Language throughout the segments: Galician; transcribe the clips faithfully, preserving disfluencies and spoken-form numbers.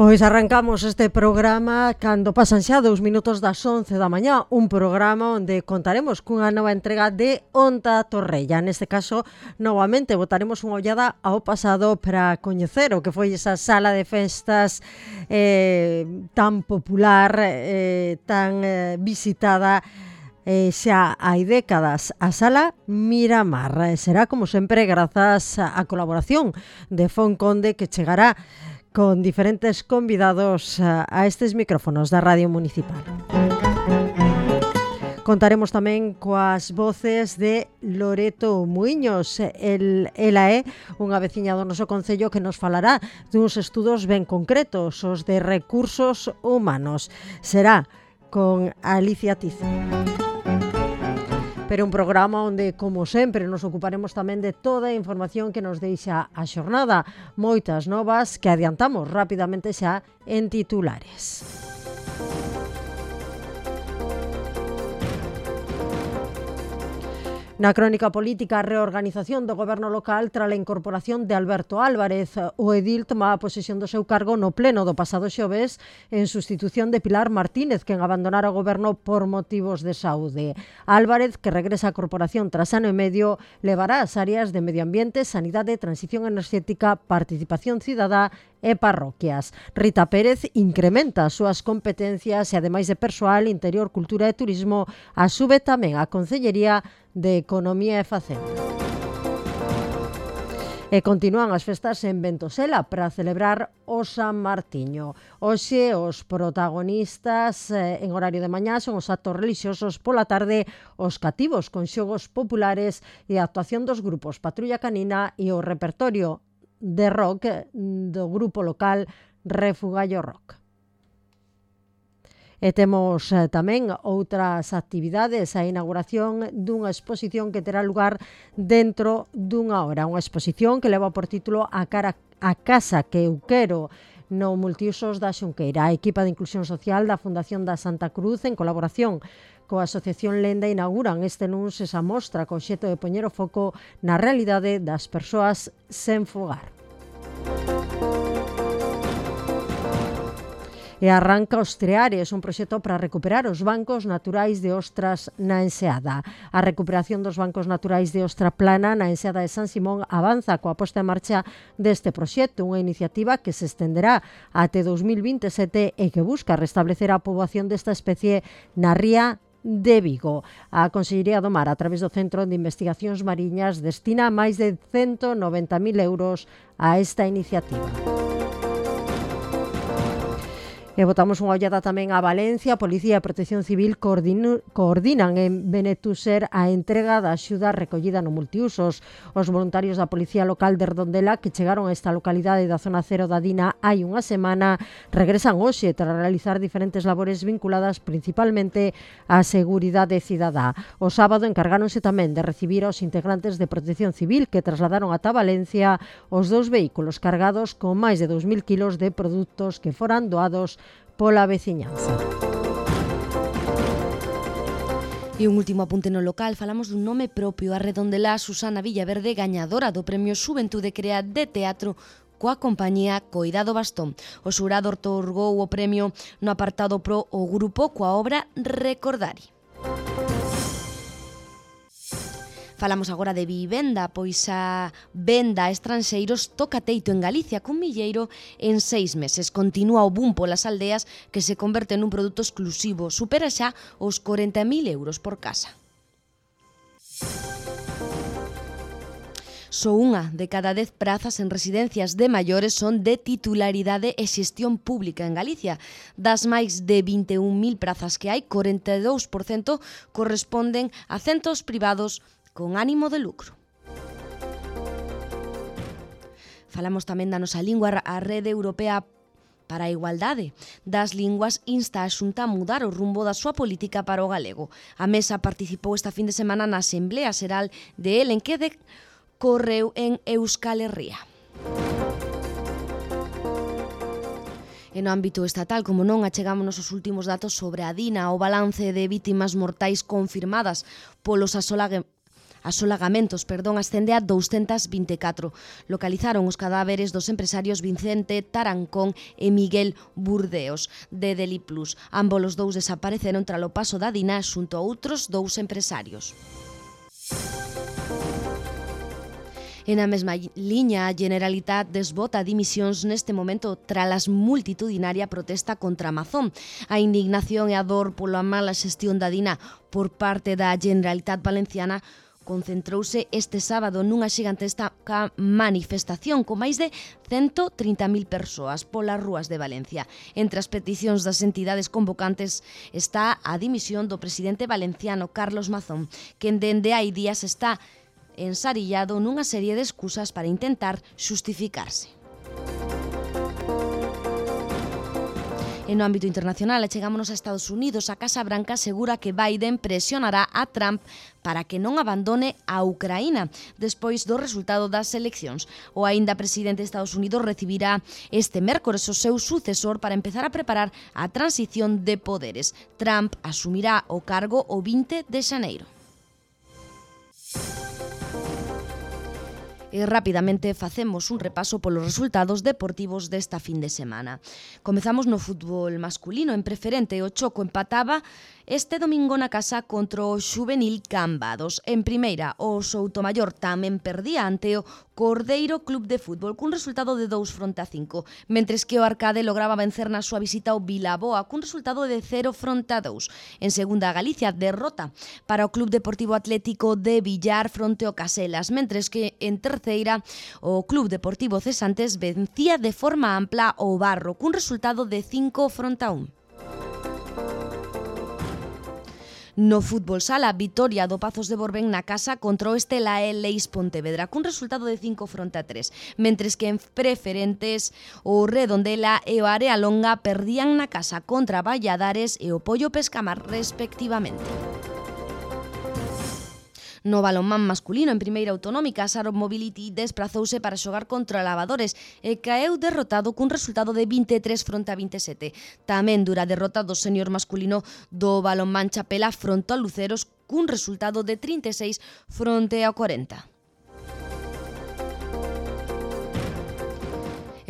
Pois arrancamos este programa cando pasan xa dous minutos das once da mañá, un programa onde contaremos cunha nova entrega de Onta Torrella. Neste caso, novamente, botaremos unha ollada ao pasado para coñecer o que foi esa sala de festas eh, tan popular, eh, tan eh, visitada Eh, xa hai décadas, a Sala Miramar. Será, como sempre, grazas á colaboración de Fon Conde, que chegará con diferentes convidados a estes micrófonos da Radio Municipal. Contaremos tamén coas voces de Loreto Muiños. El, ela é unha veciña do noso concello que nos falará duns estudos ben concretos, os de recursos humanos. Será con Alicia Tizo. Pero un programa onde, como sempre, nos ocuparemos tamén de toda a información que nos deixa a xornada. Moitas novas que adiantamos rapidamente xa en titulares. Na crónica política, a reorganización do goberno local tras a incorporación de Alberto Álvarez. O edil tomaba posesión do seu cargo no pleno do pasado xoves en sustitución de Pilar Martínez, quen abandonara o goberno por motivos de saúde. Álvarez, que regresa á corporación tras ano e medio, levará as áreas de medio ambiente, sanidade, transición enerxética, participación cidadá e parroquias. Rita Pérez incrementa as súas competencias e, ademais de persoal, interior, cultura e turismo, asube tamén a Concellería de Economía e Facenda. E continúan as festas en Ventosela para celebrar o San Martiño. Hoxe os protagonistas eh, en horario de mañá son os actos relixiosos, pola tarde os cativos con xogos populares e a actuación dos grupos Patrulla Canina e o repertorio de rock do grupo local Refugallo Rock. E temos eh, tamén outras actividades, a inauguración dunha exposición que terá lugar dentro dunha hora. Unha exposición que leva por título A cara a casa que eu quero, no multiusos da Xunqueira. A equipa de inclusión social da Fundación da Santa Cruz, en colaboración coa Asociación Lenda, inauguran este luns esa mostra co obxecto de poñer o foco na realidade das persoas sen fogar. E arranca os Treares, un proxecto para recuperar os bancos naturais de ostras na Enseada. A recuperación dos bancos naturais de ostra plana na Enseada de San Simón avanza coa posta en marcha deste proxecto, unha iniciativa que se estenderá até dous mil vinte e sete e que busca restablecer a poboación desta especie na ría de Vigo. A Consellería do Mar, a través do Centro de Investigacións Mariñas, destina máis de ciento noventa mil euros a esta iniciativa. E botamos unha ollada tamén a Valencia. A Policía e a Protección Civil coordino, coordinan en Benetuser a entrega da axuda recollida no multiusos. Os voluntarios da Policía Local de Redondela, que chegaron a esta localidade da zona cero da Dina hai unha semana, regresan hoxe tras realizar diferentes labores vinculadas principalmente á seguridade cidadá. O sábado encargáronse tamén de recibir aos integrantes de Protección Civil que trasladaron ata Valencia os dous vehículos cargados con máis de dous mil kilos de produtos que foran doados pola veciñanza. E un último apunte no local, falamos dun nome propio, a Redondelá Susana Villaverde, gañadora do Premio Xuventude Crea de Teatro coa compañía Coidado Bastón. O xurado outorgou o premio no apartado pro o grupo coa obra Recordari. Falamos agora de vivenda, pois a venda a estranxeiros toca teito en Galicia cun milleiro en seis meses. Continúa o boom polas aldeas que se converte nun produto exclusivo. Supera xa os corenta mil euros por casa. Só unha de cada dez prazas en residencias de maiores son de titularidade e xestión pública en Galicia. Das máis de vinte e un mil prazas que hai, corenta e dous por cento corresponden a centros privados con ánimo de lucro. Falamos tamén da nosa lingua. A Rede Europea para a Igualdade das Linguas insta a Xunta a mudar o rumbo da súa política para o galego. A mesa participou esta fin de semana na Asemblea Xeral de Elen, que decorreu en Euskal Herria. E no ámbito estatal, como non, achegámonos os últimos datos sobre a Dina, o balance de vítimas mortais confirmadas polos asolague asolagamentos, perdón, ascende a douscentas vinte e catro. Localizaron os cadáveres dos empresarios Vicente Tarancón e Miguel Burdeos, de Deliplus. Ambos os dous desapareceron tralo paso da Dina xunto a outros dous empresarios. E na mesma liña, a Generalitat desbota dimisións neste momento tras a multitudinaria protesta contra Amazon. A indignación e a dor pola mala xestión da Dina por parte da Generalitat Valenciana concentrouse este sábado nunha xigantesca manifestación con máis de ciento trinta mil persoas polas rúas de Valencia. Entre as peticións das entidades convocantes está a dimisión do presidente valenciano Carlos Mazón, quen dende hai días está ensarillado nunha serie de excusas para intentar xustificarse. En no ámbito internacional, achegámonos a Estados Unidos. A Casa Branca asegura que Biden presionará a Trump para que non abandone a Ucraína despois do resultado das eleccións. O aínda presidente de Estados Unidos recibirá este mércores o seu sucesor para empezar a preparar a transición de poderes. Trump asumirá o cargo o vinte de xaneiro. E rapidamente facemos un repaso polos resultados deportivos desta fin de semana. Comezamos no fútbol masculino. En preferente, o Choco empataba este domingo na casa contra o Xuvenil Cambados. En primeira, o Soutomaior tamén perdía ante o Cordeiro Club de Fútbol cun resultado de dous fronte a cinco, mentres que o Arcade lograba vencer na súa visita ao Vilaboa cun resultado de cero fronte a dous. En segunda, Galicia derrota para o Club Deportivo Atlético de Villar fronte ao Caselas, mentres que en terceira o Club Deportivo Cesantes vencía de forma ampla o Barro cun resultado de cinco fronte a un. No fútbol sala, vitoria do Pazos de Borbén na casa contra o Estela e Leis Pontevedra cun resultado de cinco fronte a tres, mentres que en preferentes o Redondela e o Area Longa perdían na casa contra Valladares e o Pollo Pescamar respectivamente. No balonmán masculino, en primeira autonómica, Saro Mobility desprazouse para xogar contra Lavadores e caeu derrotado cun resultado de vinte e tres fronte a vinte e sete. Tamén dura derrota do senior masculino do balonmán Chapela fronte a Luceros cun resultado de trinta e seis fronte a cuarenta.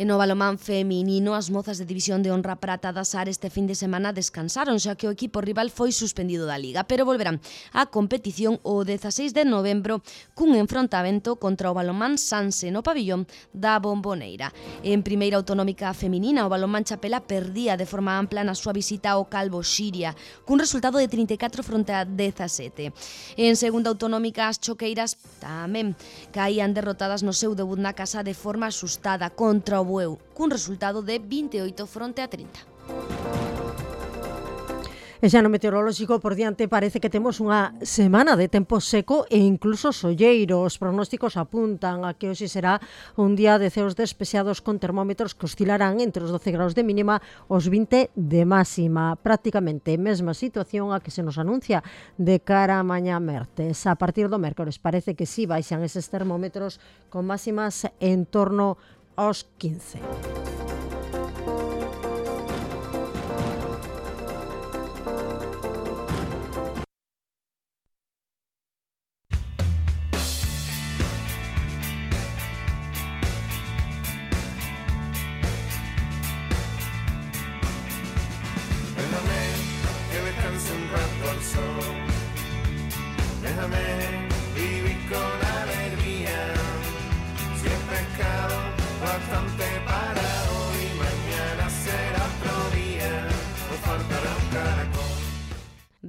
E no balonmán feminino, as mozas de División de Honra Prata da S A R este fin de semana descansaron, xa que o equipo rival foi suspendido da Liga, pero volverán á competición o dezaseis de novembro cun enfrontamento contra o balonmán Sanse no pabillón da Bomboneira. En primeira autonómica feminina, o balonmán Chapela perdía de forma ampla na súa visita ao Calvo Xiria, cun resultado de trinta e catro fronte a dezasete. En segunda autonómica, as choqueiras tamén caían derrotadas no seu debut na casa de forma asustada contra o Bueu, cun resultado de vinte e oito fronte a trinta. E xa no meteorolóxico por diante parece que temos unha semana de tempo seco e incluso solleiro. Os pronósticos apuntan a que hoxe será un día de ceos despexados con termómetros que oscilarán entre os doce graus de mínima os vinte de máxima. Prácticamente mesma situación a que se nos anuncia de cara a mañá mertes. A partir do mércores parece que si baixan eses termómetros con máximas en torno aos quince.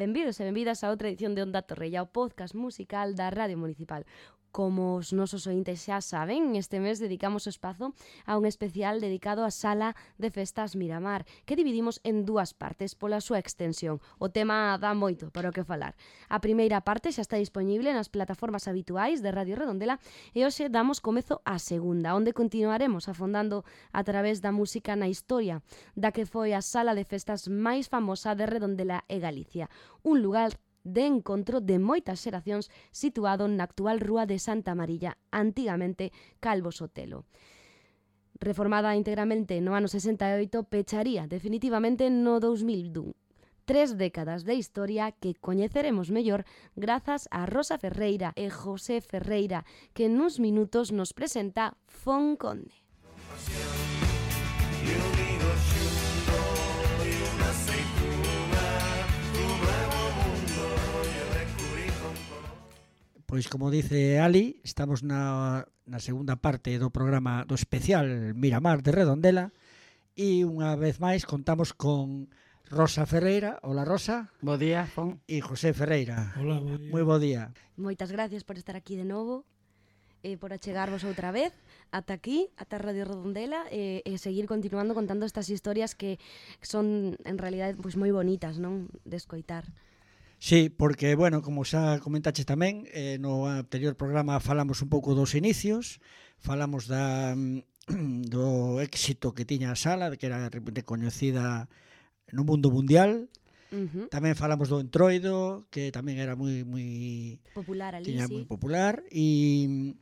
Benvidos e benvidas a outra edición de Onda Torrella, o podcast musical da Radio Municipal. Como os nosos ointes xa saben, este mes dedicamos o espazo a un especial dedicado á Sala de Festas Miramar, que dividimos en dúas partes pola súa extensión. O tema dá moito para o que falar. A primeira parte xa está disponible nas plataformas habituais de Radio Redondela e hoxe damos comezo á segunda, onde continuaremos afondando a través da música na historia da que foi a Sala de Festas máis famosa de Redondela e Galicia, un lugar de encontro de moitas xeracións situado na actual Rúa de Santa Marilla, antigamente Calvo Sotelo. Reformada integramente no ano sesenta e oito, pecharía definitivamente no dous mil un. tres décadas de historia que coñeceremos mellor grazas a Rosa Ferreira e José Ferreira, que nuns minutos nos presenta Fon Conde. Pois como dice Ali, estamos na, na segunda parte do programa do especial Miramar de Redondela e unha vez máis contamos con Rosa Ferreira. Hola, Rosa. Bo día, Fon. E José Ferreira. Hola, bo día. Moi bo día. Moitas gracias por estar aquí de novo e por achegarvos outra vez ata aquí, ata Radio Redondela e, e seguir continuando contando estas historias que son en realidade pois moi bonitas, non, de escoitar. Sí, porque, bueno, como xa comentaches tamén, eh, no anterior programa falamos un pouco dos inicios, falamos da, do éxito que tiña a sala, que era recoñecida no mundo mundial. Uh-huh. Tamén falamos do Entroido, que tamén era moi moi popular ali, tiña sí. moi popular e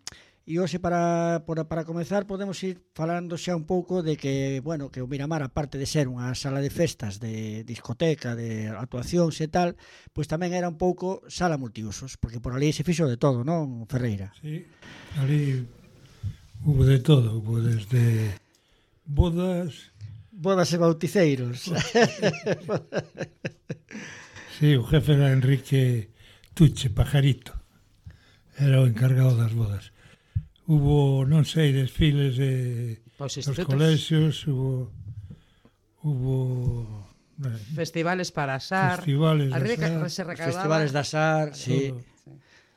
E hoxe para, para, para comezar podemos ir falando xa un pouco de que, bueno, que o Miramar, aparte de ser unha sala de festas, de discoteca, de actuacións e tal, pois tamén era un pouco sala multiusos, porque por ali se fixo de todo, non, Ferreira? Sí, ali hubo de todo, hubo desde bodas... Bodas e bauticeiros. Sí, o jefe era Enrique Tuche Pajarito, era o encargado das bodas. Hubo, non sei, desfiles de dos colexios, hubo hubo eh, festivales para asar, festivales de asar, festivales de asar, sí. sí.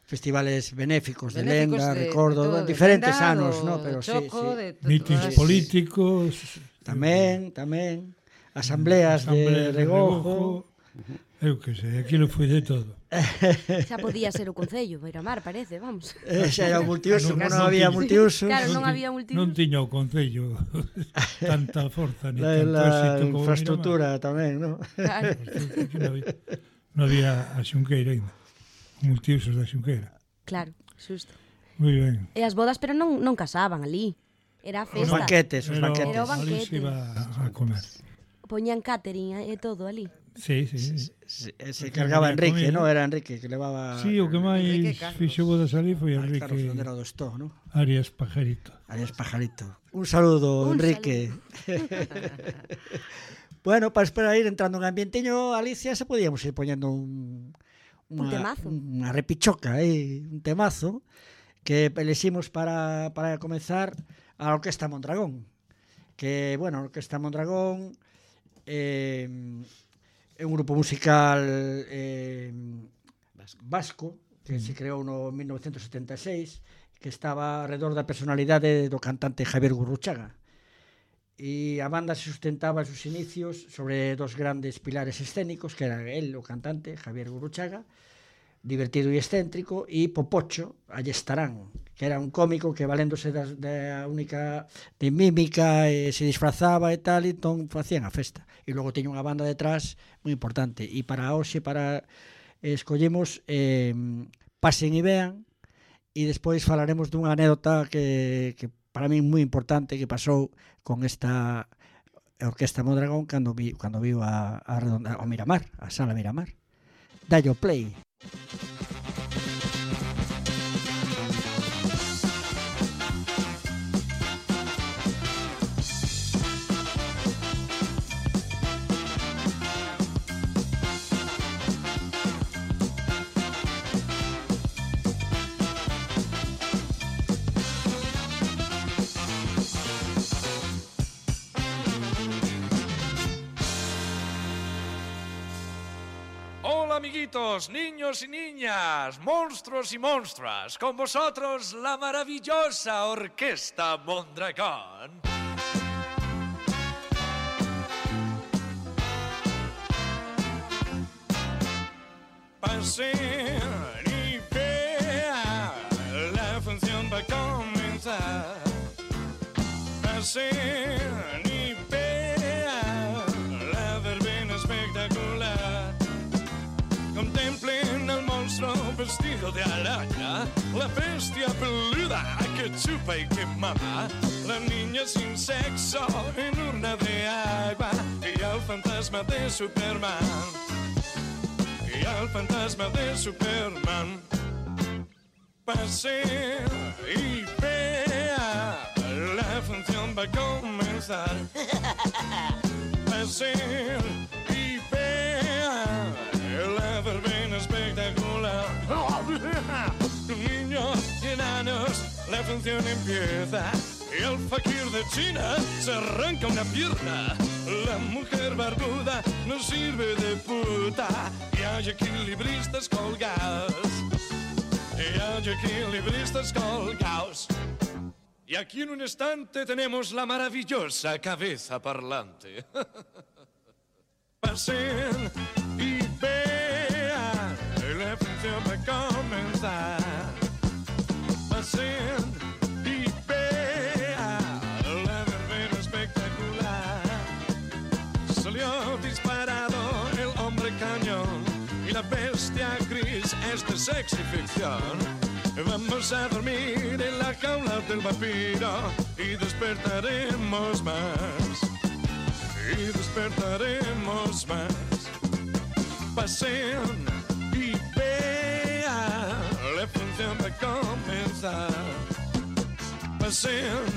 Festivales benéficos, benéficos de lenda, de, recordo, de todo, diferentes de anos, no, pero choco, sí, sí. De, mítins de, políticos, tamén, tamén, asambleas, asambleas de, de regojo. Uh-huh. Eu que sei, aquilo foi de todo. Xa podía ser o Concello, Miramar, parece, vamos. Eh, xa era o multiuso, non, non, non había multiuso. Claro, non, non había multiuso. Non tiña o Concello tanta forza ni la, tanto la éxito como infraestructura Miramar. tamén, non? Claro. Non había, non había a Xunqueira ainda. Multiusos da Xunqueira. Claro, xusto. Moi ben. E as bodas, pero non, non casaban ali. Era a festa. Os banquetes, os Pero, banquetes. Era o banquete. Ali se iba a comer. Poñían catering e todo ali. Sí, sí, sí. Se, se cargaba Enrique, non? Era Enrique que levaba... Sí, o que máis fixo bodas ali foi ah, Enrique... Claro, onde era do Estó, non? Arias Pajarito. Arias Pajarito. Un saludo, Un Enrique. Saludo. Bueno, para esperar ir entrando en ambienteño, Alicia, se podíamos ir poñendo un... Una, un temazo. Unha repichoca, eh, un temazo que eleximos para, para comenzar a Orquesta Mondragón. Que, bueno, a Orquesta Mondragón... Eh, é un grupo musical eh, vasco que se creou no mil novecentos setenta e seis, que estaba alrededor da personalidade do cantante Javier Gurruchaga, e a banda se sustentaba en sus inicios sobre dos grandes pilares escénicos, que era el, o cantante Javier Gurruchaga, divertido e excéntrico, e Popocho Allestarán, que era un cómico que valéndose da, da única de mímica e se disfrazaba e tal, e entón facían a festa. E logo teña unha banda detrás moi importante. E para hoxe, para eh, escollemos eh, Pasen e vean, e despois falaremos dunha anécdota que, que para mí moi importante que pasou con esta Orquesta Mondragón cando vi, cando viu a, a redonda, ao Miramar, a Sala Miramar. Dallo play. Amiguitos, niños y niñas, monstruos y monstruas, con vosotros la maravillosa Orquesta Mondragón. Pasen y vean, la función va a comenzar. Pasen y vean, la verbena espectacular. Contemplen al monstruo vestido de araña, la bestia peluda que chupa y que mama, la niña sin sexo en urna de agua y al fantasma de Superman. al fantasma de Superman. Pase y vea, la función va a comenzar. Pase y vea, la verbena espectacular. Niños y enanos, la función empieza. Y el fakir de China se arranca una pierna. La mujer barbuda no sirve de puta. Y hay equilibristas colgados. Y hay equilibristas colgados. Y aquí en un instante tenemos la maravillosa cabeza parlante. Pasen y vean, la función va a comenzar. Pasen y vean, la verbena espectacular. Salió disparado el hombre cañón y la bestia gris es de sexy ficción. Vamos a dormir en la jaula del vampiro y despertaremos más. Y despertaremos más. Pasen y vean, la función va a comenzar. Pasen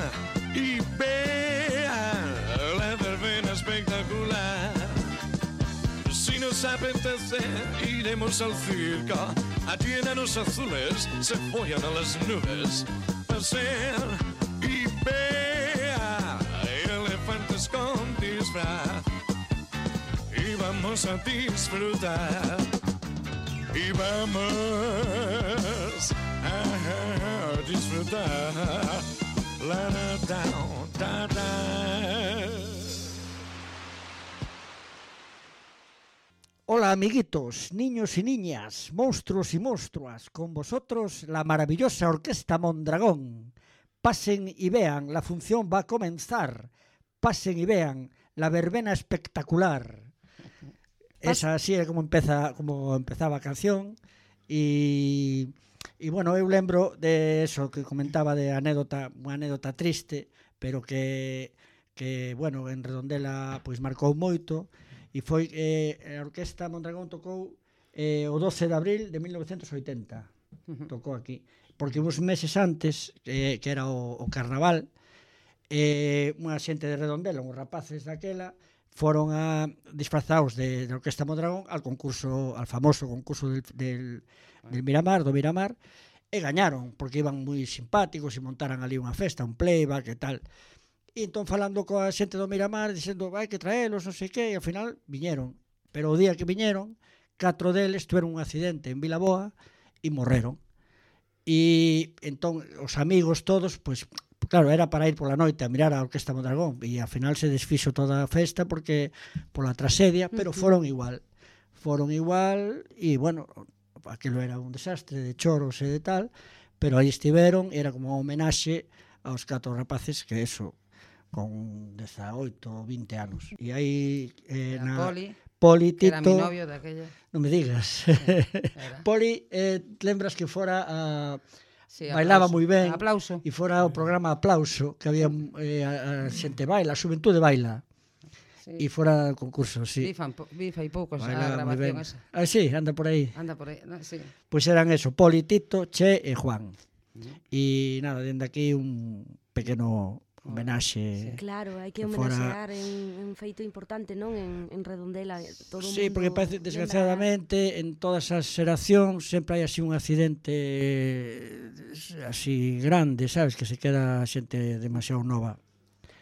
y vean, la verbena espectacular. Si nos apetece, iremos al circo. Allí enanos azules se follan a las nubes. Pasen y vean, elefantes con disfraz. Y vamos a disfrutar. Y vamos a disfrutar. La da da da. Hola amiguitos, niños y niñas, monstruos y monstruas, con vosotros la maravillosa Orquesta Mondragón. Pasen y vean, la función va a comenzar. Pasen y vean, la verbena espectacular. Esa así era como empeza, como empezaba a canción. E, e bueno, eu lembro de eso que comentaba de anécdota, unha anécdota triste, pero que, que bueno, en Redondela pois marcou moito. E foi eh, a Orquesta Mondragón tocou eh, o doce de abril de mil novecentos oitenta. Tocou aquí. Porque uns meses antes, eh, que era o, o carnaval, eh, unha xente de Redondela, uns rapaces daquela, foron a disfrazados de, de Orquesta Mondragón al concurso, al famoso concurso del, del, del Miramar, do Miramar, e gañaron, porque iban moi simpáticos e montaran ali unha festa, un playback e tal. E entón falando coa xente do Miramar, dicendo, vai que traelos, non sei que, e ao final viñeron. Pero o día que viñeron, catro deles tuveron un accidente en Vilaboa e morreron. E entón os amigos todos, pois, claro, era para ir pola noite a mirar a Orquesta Mondragón, e ao final se desfixo toda a festa porque pola tragedia, pero foron igual. Foron igual, e bueno, aquilo era un desastre de choros e de tal, pero aí estiveron, era como unha homenaxe aos catro rapaces que eso, con dezaoito ou vinte anos. E aí eh, na Poli, Poli que era mi Tito, novio daquella. non me digas. Era. Poli, eh, lembras que fora a Sí, bailaba aplauso. moi ben. Aplauso. E fora o programa Aplauso, que había eh, a, a xente baila, a xuventude baila. Sí. E fora o concurso, sí. Vi, fan, vi fai poucos a Baila moi ben. grabación esa. Ah, sí, anda por aí. Anda por aí, no, sí. Pois eran eso, Poli, Tito, Che e Juan. E nada, dende aquí un pequeno homenaxe. Claro, hai que que fora- homenaxear en un feito importante, non? En, en Redondela, todo o Sí, mundo porque parece, lembra- desgraciadamente, en todas as xeracións sempre hai así un accidente eh, así grande, sabes, que se queda a xente demasiado nova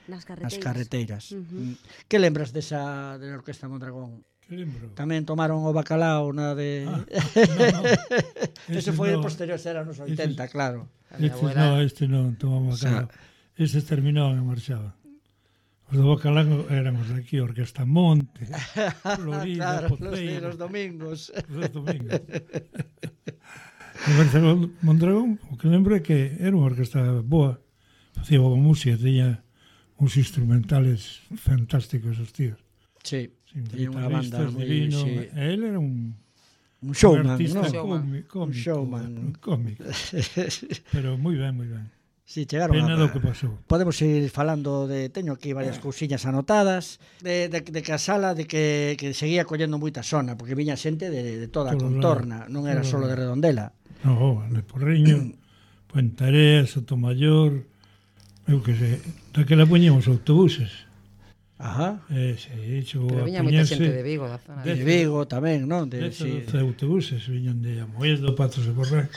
nas nas carreteiras. carreteiras. Ujú. Mm. Que lembras desa de la Orquesta Mondragón? Que lembro? Tamén tomaron o bacalao na de... Ah, no, Ese ese foi no. de posterior, era nos oitenta, claro. A mi Este abuela- no, este non tomaba O sea, bacalao. Estes terminaban e marchaban. Os do bacalao eran os de aquí, Orquesta Monte, Florida, claro, los, de Poceira, los domingos. os domingos. O Orquesta Mondragón, o que lembro é que era unha orquesta boa, facía boa música, tiña uns instrumentales fantásticos os tíos. Sí, Sin tiña unha banda guitarristas moi... divino. Sí. E él era un, Un un showman, artista ¿no? Showman. cómi- cómico, showman. un cómico. Pero moi ben, moi ben. Sí, chegaron Pena a... do que pasou. Podemos ir falando de... Teño aquí varias cousiñas anotadas de, de, de que a sala de que, que seguía collendo moita zona, porque viña xente de, de toda a Todo contorna, lado. non era Todo solo de lado. Redondela. No, de Porriño, Puentareas, Sotomayor, eu que sei, daquela poñemos autobuses. Ajá. Eh, sí, chegou Pero a viña moita poñerse xente de Vigo, da zona De de Vigo tamén, non? De, dez sí. ou doce autobuses viñan de Amoedo, Patos de Borrán.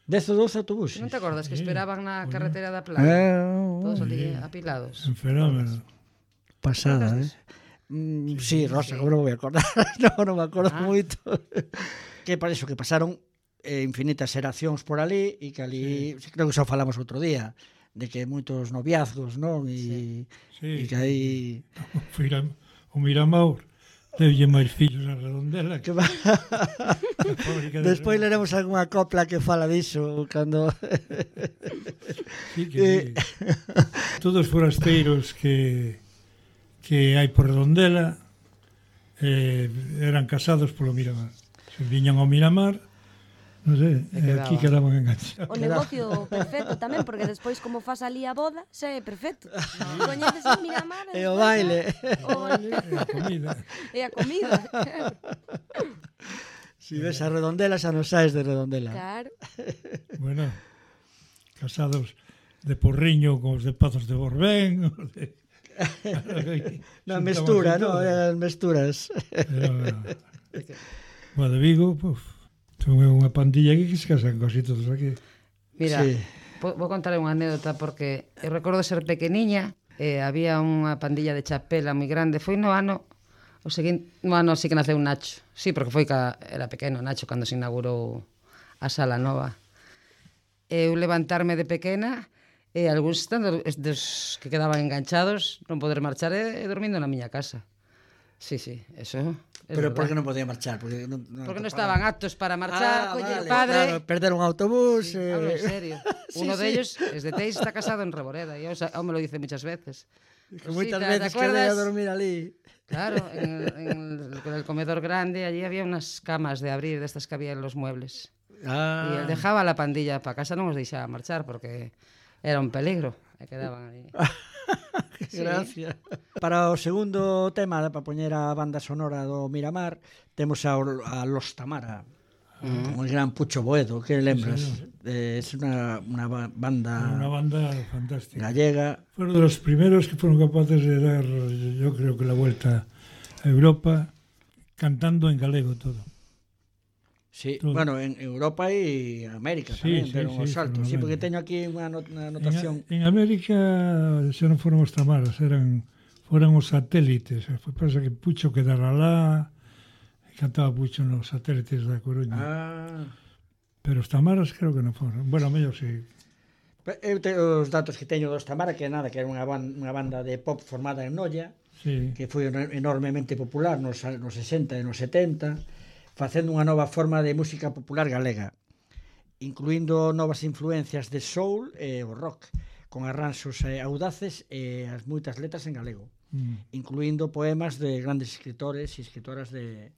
dez ou doce autobuses. Non te acordas que Sí. esperaban na Bueno. carretera da Eh, Playa? Todos ali apilados. Un fenómeno. pasada, eh? Mm, sí, Rosa, como non me voy a acordar. no, non me acordo Ah. moito. Que para iso que pasaron eh, infinitas xeracións por ali e que ali, sí. creo que xa falamos outro día, de que moitos noviazgos, non? E, Sí, e que aí... Fira, o Miramor deulle máis fillos a Redondela Que que va... a fábrica de Despois Redondela. leremos algunha copla que fala diso cando... Sí, que Eh. sí. Todos os forasteiros que que hai por Redondela eh, eran casados polo Miramar. Se viñan ao Miramar, non sei, E eh, aquí quedaba. quedaban enganchados. O negocio perfecto tamén, porque despois como faz ali a boda, xa é perfecto. Coñeces o Miramar E o baile. O Vale, e a comida. e a comida. Si ves a Redondela, xa non saes de Redondela. Claro. Bueno, casados de Porriño con os de Pazos de Borbén, os de... Na mestura, non? Era... Eran mesturas. Bueno, de Vigo, puf, son unha pandilla aquí que se casan casi todos aquí. Mira, Sí. vou vou contar unha anécdota porque eu recordo ser pequeniña e había unha pandilla de chapela moi grande. Foi no ano o seguinte, no ano así que naceu Nacho. Sí, porque foi ca, era pequeno Nacho cando se inaugurou a sala nova. Eu levantarme de pequena e algúns estando dos que quedaban enganchados non poder marchar e, e dormindo na miña casa. Sí, sí, eso. Pero por que non podía marchar? Porque non, non Porque non estaban aptos para Ah, marchar, colle vale, o padre. claro, perder un autobús. Sí, eh... hablo en serio. Sí, Uno sí. de ellos es de Teis, está casado en Reboreda y aún me lo dice muchas veces. Que moitas Sí, ¿te- te veces quedé a acuerdas? dormir ali. Claro, en, en el, con el comedor grande allí había unas camas de abrir de estas que había en los muebles. Ah. Y él dejaba a la pandilla para casa, non os deixaba marchar porque era un peligro. E quedaban aí. Sí. Gracias. Para o segundo tema, para poñer a banda sonora do Miramar, temos a, a Los Tamara, Mm. con el gran Pucho Boedo, que lembras? Sí, Eh, es una, una ba- banda Una banda fantástica. gallega. Fueron de los primeros que fueron capaces de dar, yo creo que la vuelta a Europa, cantando en galego todo. Sí, Todo. bueno, en Europa e América Sí, tamén sí, deron sí, os saltos. Sí, fenomenal. porque teño aquí unha, not unha En, anotación. en América xa non foron os Tamaras, eran foran os satélites. Foi pasa que Pucho quedara lá, e cantaba Pucho nos satélites da Coruña. Ah. Pero os Tamaras creo que non foron. Bueno, mellor si. Pe- Eu te, os datos que teño dos Tamara, que nada, que era unha, ban, unha banda de pop formada en Noia, Sí. que foi eno- enormemente popular nos, a- nos sesenta e nos setenta, facendo unha nova forma de música popular galega, incluindo novas influencias de soul e o rock, con arranxos eh, audaces e as moitas letras en galego, Mm. incluindo poemas de grandes escritores e escritoras de,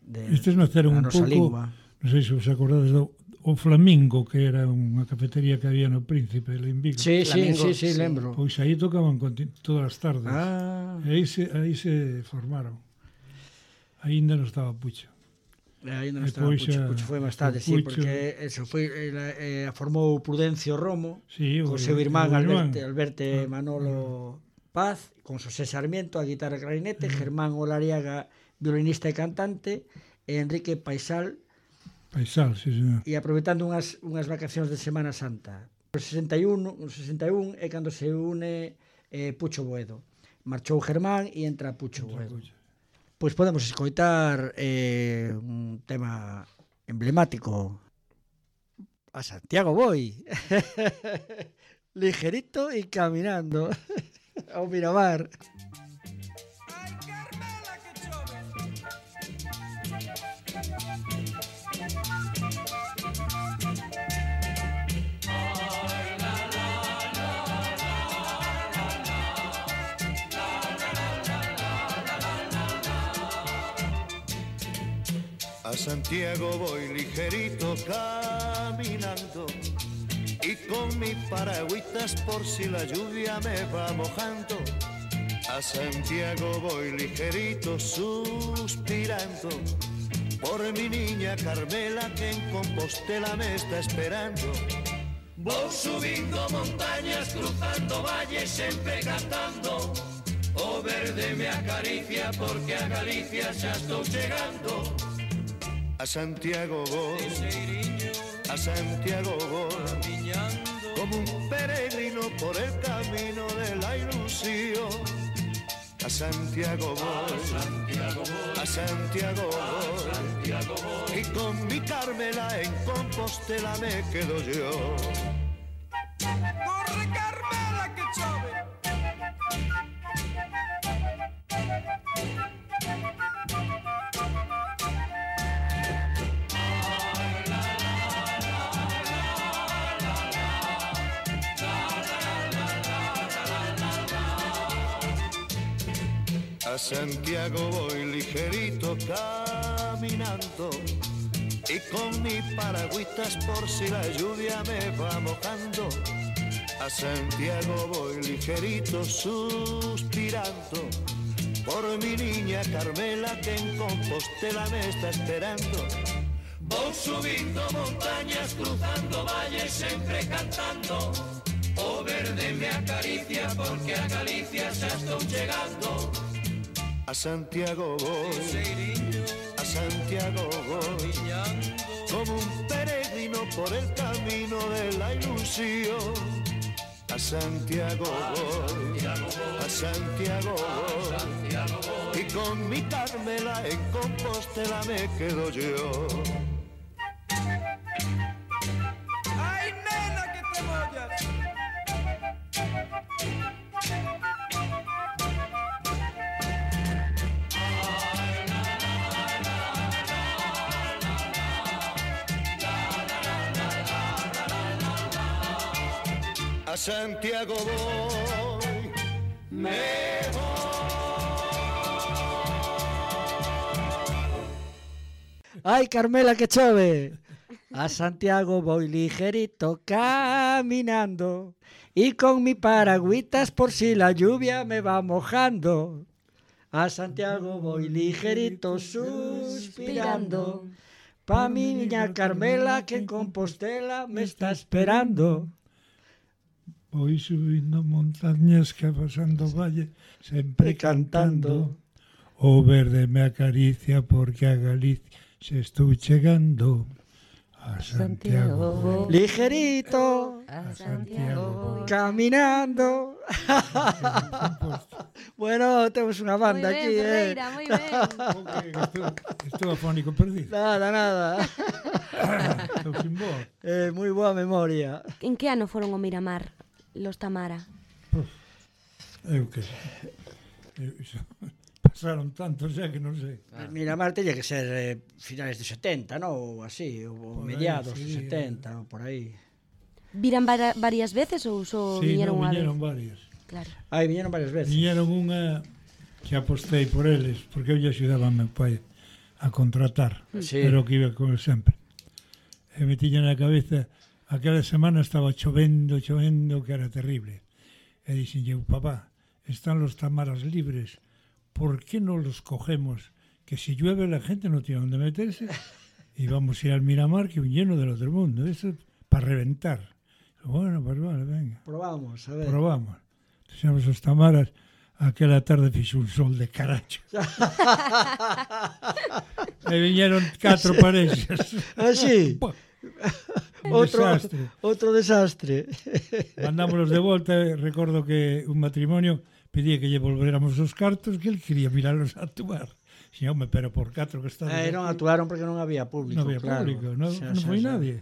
de Estes naceron da un nosa pouco, lingua. non sei se vos acordades do o Flamingo, que era unha cafetería que había no Príncipe de Limbigo. Sí, sí, Flamingo, sí, sí, sí. lembro. Pois aí tocaban conti- todas as tardes. Ah, E aí se, aí se formaron. Aínda non estaba Pucho. aí non E estaba pois Pucho, a- Pucho foi máis tarde, sí, Pucho- porque eso foi ela, eh, a formou Prudencio Romo, Sí, co o- seu irmán o irmán. Alberto, Alberto Ah, Manolo Paz, con Xosé Sarmiento a guitarra e clarinete, Mm. Germán Olariaga violinista e cantante, e Enrique Paisal, Paisal, sí, señor. e aproveitando unhas, unhas vacacións de Semana Santa. O sesenta e un, o sesenta e un é cando se une eh, Pucho Boedo. Marchou Germán e entra Pucho Boedo. Pois podemos escoitar eh, un tema emblemático. A Santiago voy. Ligerito y caminando. Ao Miramar. A Santiago voy ligerito caminando, y con mi paragüitas por si la lluvia me va mojando. A Santiago voy ligerito suspirando por mi niña Carmela que en Compostela me está esperando. Voy subindo montañas, cruzando valles, sempre cantando. O verde me acaricia porque a Galicia xa estou chegando. A Santiago voy, a Santiago voy, como un peregrino por el camino de la ilusión. A Santiago voy, a Santiago voy, y con mi Carmela en Compostela me quedo yo. Corre Carmela que chove. A Santiago voy ligerito caminando y con mi paragüitas por si la lluvia me va mojando. A Santiago voy ligerito suspirando por mi niña Carmela que en Compostela me está esperando. Voy subindo montañas, cruzando valles, siempre cantando. O verde me acaricia porque a Galicia xa estou chegando. A Santiago voy, a Santiago voy, como un peregrino por el camino de la ilusión. A Santiago voy, a Santiago voy, y con mi Carmela en Compostela me quedo yo. ¡Ay, nena, que te mollas! A Santiago voy, me voy. Ay, Carmela, que chove. A Santiago voy ligerito caminando y con mi paragüitas por si la lluvia me va mojando. A Santiago voy ligerito suspirando pa' mi niña Carmela que en Compostela me está esperando. Voy subindo montañas que pasando valle, sempre cantando. O verde me acaricia porque a Galicia se estou chegando. A Santiago, ligerito, a Santiago, caminando. Bueno, temos unha banda muy aquí, bien, eh. Ferreira, muy bien. Estou, estou afónico perdido. Nada, nada. Estou sin voz. Eh, moi boa memoria. En que ano foron ao Miramar, los Tamara? Uf, eu que sei. Eu, iso, pasaron tantos xa que non sei. Ah. Miramar teña que ser eh, finales de setenta, ¿no? Ou así, ou Por aí, mediados sí, de setenta, ou por aí. Viran vara, varias veces ou só Sí, viñeron no, unha viñeron vez? varias. Claro. Aí viñeron varias veces. Viñeron unha que apostei por eles, porque eu lle axudaba a meu pai a contratar, Sí. pero que iba con el sempre. E me tiña na cabeza, aquela semana estaba chovendo, chovendo, que era terrible. E dixen eu, papá, están los Tamaras libres, ¿por qué no los cogemos? Que si llueve la gente no tiene dónde meterse y vamos a ir al Miramar, que es un lleno del otro mundo, eso para reventar. Bueno, pues vale, venga. Probamos, a ver. Probamos. Entonces, os Tamaras, aquela tarde fixo un sol de caracho. E viñeron catro parexas. Ah, sí? Un outro, desastre. outro desastre. Mandámoslos de volta, recordo que un matrimonio pedía que lle volveramos os cartos, que él quería mirarlos a actuar. Si, home, pero por catro que está... Eh, non actuaron porque non había público, Non había claro. público, non Xa, no xa, foi xa. nadie.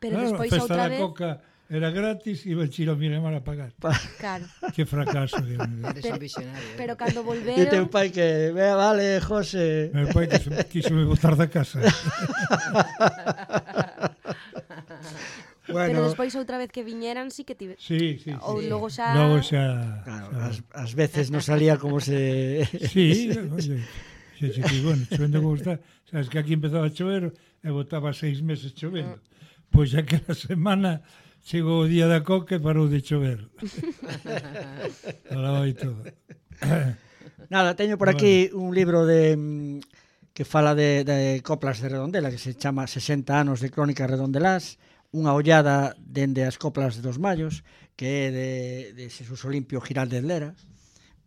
Pero Claro, despois a festa outra da vez... Coca era gratis, iba el Chiro Miramar a pagar. Claro. Que fracaso, Dios mío. Eres un visionario. eh. Pero cando E teu volveron... pai que, vea, vale, José. Meu pai quiso, quiso me botar da casa. Pero Bueno, despois outra vez que viñeran sí que tive... Sí, sí, sí. Ou logo xa... Logo xa... claro, xa- as, as veces non salía como se... Sí, oye, xe, xe, que, bueno, chovendo como está, sabes que aquí empezaba a chover e botaba seis meses chovendo. Pois aquela semana chegou o día da coca e parou de chover. Alaba e todo. Nada, teño por aquí un libro de que fala de, de coplas de Redondela, que se chama sesenta anos de crónicas redondelás, unha ollada dende as coplas dos Mallos, que é de, de Xesús Olimpio Giraldez Lera,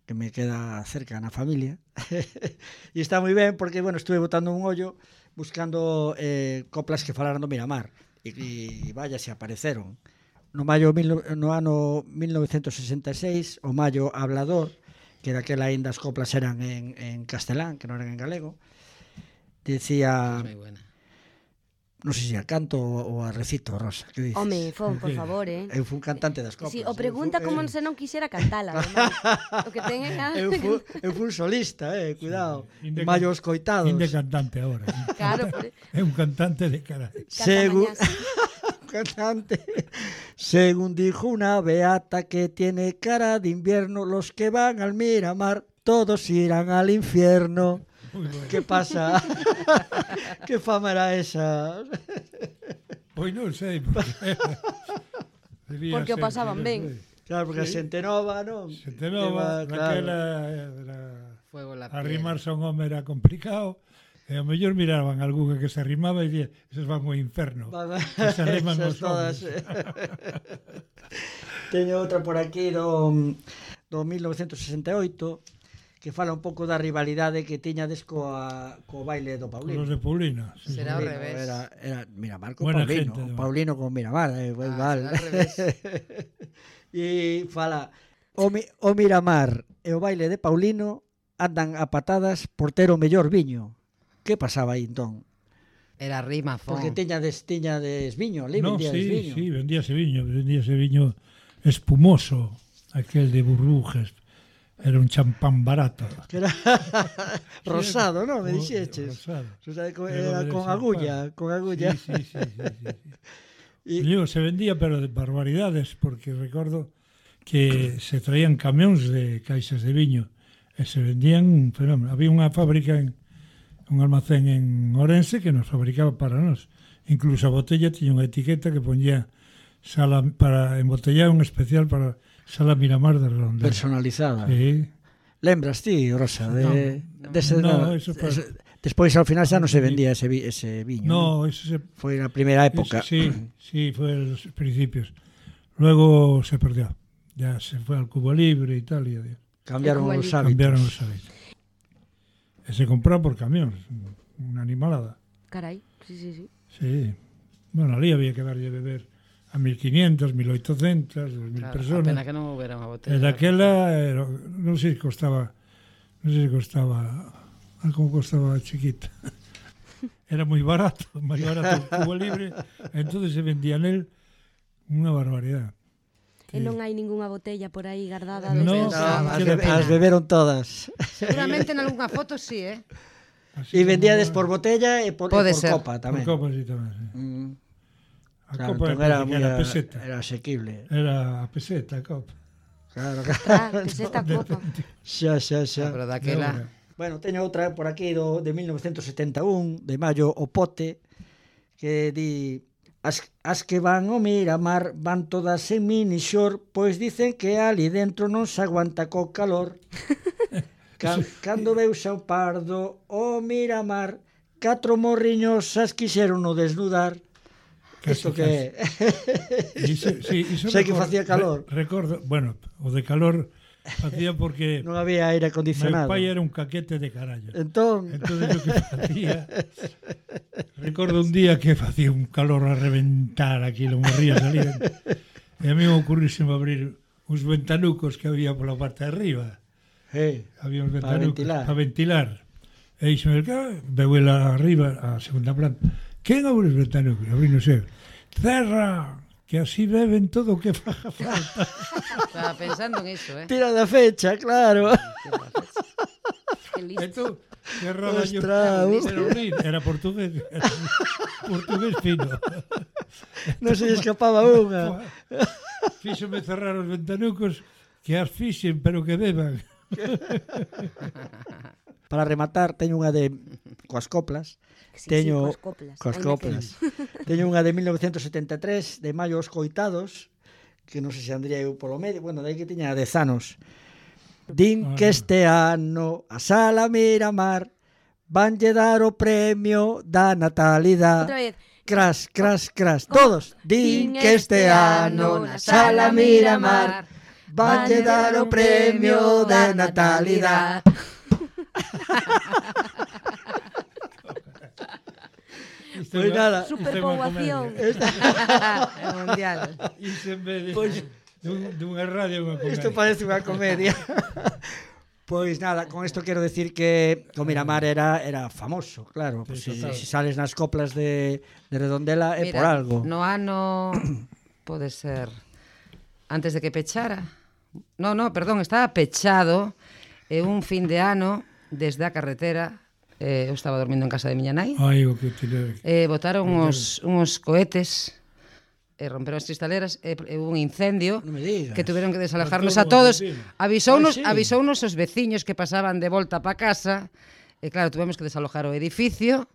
que me queda cerca na familia. E está moi ben porque, bueno, estuve botando un ollo buscando eh, coplas que falaran do Miramar. E, e vaya, se apareceron. No maio no ano mil novecentos sesenta e seis, o Mallo Hablador, que daquela ainda as coplas eran en, en castelán, que non eran en galego, decía... Moi buena. Non sei se a canto ou a recito, Rosa, que dices? Home, fon, por favor, eh. Eu fui un cantante das coplas. Si, sí, o pregunta eu como fu, se non quixera cantala, o que ten é eu fui, eu fui un solista, eh, cuidado. Sí, Mallo os coitados. Inde cantante agora. Claro, por... É un cantante de cara. Según cantante. Según dijo una beata que tiene cara de invierno, los que van al Miramar todos irán al infierno. Bueno. ¿Qué pasa? ¿Qué fama era esa? Pois non sei, porque... porque o pasaban ben. Claro, porque sí. A xente nova, non? Xente nova, naquela era... Fuego la arrimarse a un home era complicado, e ao mellor miraban algunha que se arrimaba e día, esos van ao inferno. Que se arriman os homens. Teño outra por aquí do, do mil novecentos sesenta e oito, que fala un pouco da rivalidade que tiñades coa, co baile do Paulino. Con os de Paulino. Sí. Será ao revés. Era, era Miramar con Buena Paulino. Gente, Paulino con Miramar, eh, ah, igual. E fala, o, mi, o Miramar e o baile de Paulino andan a patadas por ter o mellor viño. Que pasaba aí, entón? Era rima, fon. Porque tiñades, tiñades viño, ali no, vendíades sí, viño. Sí, vendíase viño, vendíase viño espumoso, aquel de burbujas. Era un champán barato. Que era rosado, ¿no? Me dixeches. Rosado. O sea, con, era con agulla, con agulla. Sí, sí, sí, sí, sí, sí. Y... Yo, se vendía, pero de barbaridades, porque recordo que se traían camións de caixas de viño e se vendían un fenómeno. Había unha fábrica, en, un almacén en Orense que nos fabricaba para nós. Incluso a botella tiña unha etiqueta que ponía sala para embotellar, un especial para Sala Miramar de Redondela. Personalizada. Sí. Lembras ti, Rosa, de, no, de ese, no, eso fue... ese, despois ao final xa non se vendía ese, vi, ese viño. No, ¿no? Eso se... foi na primeira época. Eso, sí, sí, fue en los principios. Luego se perdió. Ya se fue al Cubo Libre y tal. Y adiós. Cambiaron os hábitos. Cambiaron os hábitos. E se compró por camión, una animalada. Carai, sí, sí, sí. Sí. Bueno, ali había que darlle beber a mil quinientos, mil oitocentos, dos mil claro, personas. A pena que non houbera unha botella. E daquela, era, non sei se costaba, non sei se costaba, como costaba chiquita. Era moi barato, moi barato o Cubo Libre, entonces se vendía nel unha barbaridade. E non hai ningunha botella por aí guardada? No, no, as, be as beberon todas. Seguramente en algunha foto sí, eh? E vendíades por botella e por, e por copa tamén. Por copa, sí, tamén, sí. Mm. A claro, copa era, era, era peseta. Era asequible. Era a peseta, a copa. Claro, claro. Ah, peseta, copa. Xa, xa, xa. Pero daquela... Bueno, teño outra por aquí do, de mil novecentos setenta e un, de Mallo o Pote, que di... As, as que van ao Miramar van todas en mini short, pois dicen que ali dentro non se aguanta co calor. Can, cando veus ao Pardo o Miramar, catro morriños as quixeron no desnudar. Isto que é. Sí, sei que facía calor. Re, recordo, bueno, o de calor facía porque non había aire acondicionado. Meu pai era un caquete de carallo. Entón, entonces o que facía, recordo un día que facía un calor a reventar aquí, lo morría salir. E a mí me ocurríseme abrir uns ventanucos que había pola parte de arriba. Hey, había uns ventanucos para ventilar. Pa ventilar. E dixeme, veu ela arriba, a segunda planta. Quen abre os ventanucos? Abrí, non sei. Cerra, que así beben todo o que faga falta. Estaba pensando en iso, eh? Tira da fecha, claro. E tú, cerraba yo. Era portugués. Era portugués fino. Non se escapaba unha. Fíxome cerrar os ventanucos que as fixen, pero que beban. para rematar, teño unha de coas coplas. Sí, Teño sí, coas coplas. coas Ainda que- coplas. Teño unha de mil novecientos setenta e tres de Maio os Coitados, que non sei se andría eu polo medio, bueno, dai que tiña dez anos. Din que este ano a Sala Miramar vanlle dar o premio da natalidade. Outra vez. Cras, cras, cras. Todos. Din que este ano na Sala Miramar vanlle dar o premio da natalidade. Pois nada. Superpoboación. É mundial. Isto en vez de, Pois- dun, dunha radio unha comedia. Isto parece unha comedia. Pois nada, con isto quero decir que o Miramar era era famoso, claro. Pues Sí, si, total. si sales nas coplas de, de Redondela é Mira, por algo. No ano pode ser antes de que pechara. No, no, perdón, estaba pechado e un fin de ano desde a carretera, eh, eu estaba dormindo en casa de miña nai. Ai, o que tirei. Eh, botaron uns, uns cohetes e romperon as cristaleras e e hubo un incendio Non me digas. que tuveron que desalojarnos A a todo todos. Argentina. Avisounos, Ah, sí. avisounos os veciños que pasaban de volta pa casa e claro, tuvemos que desalojar o edificio.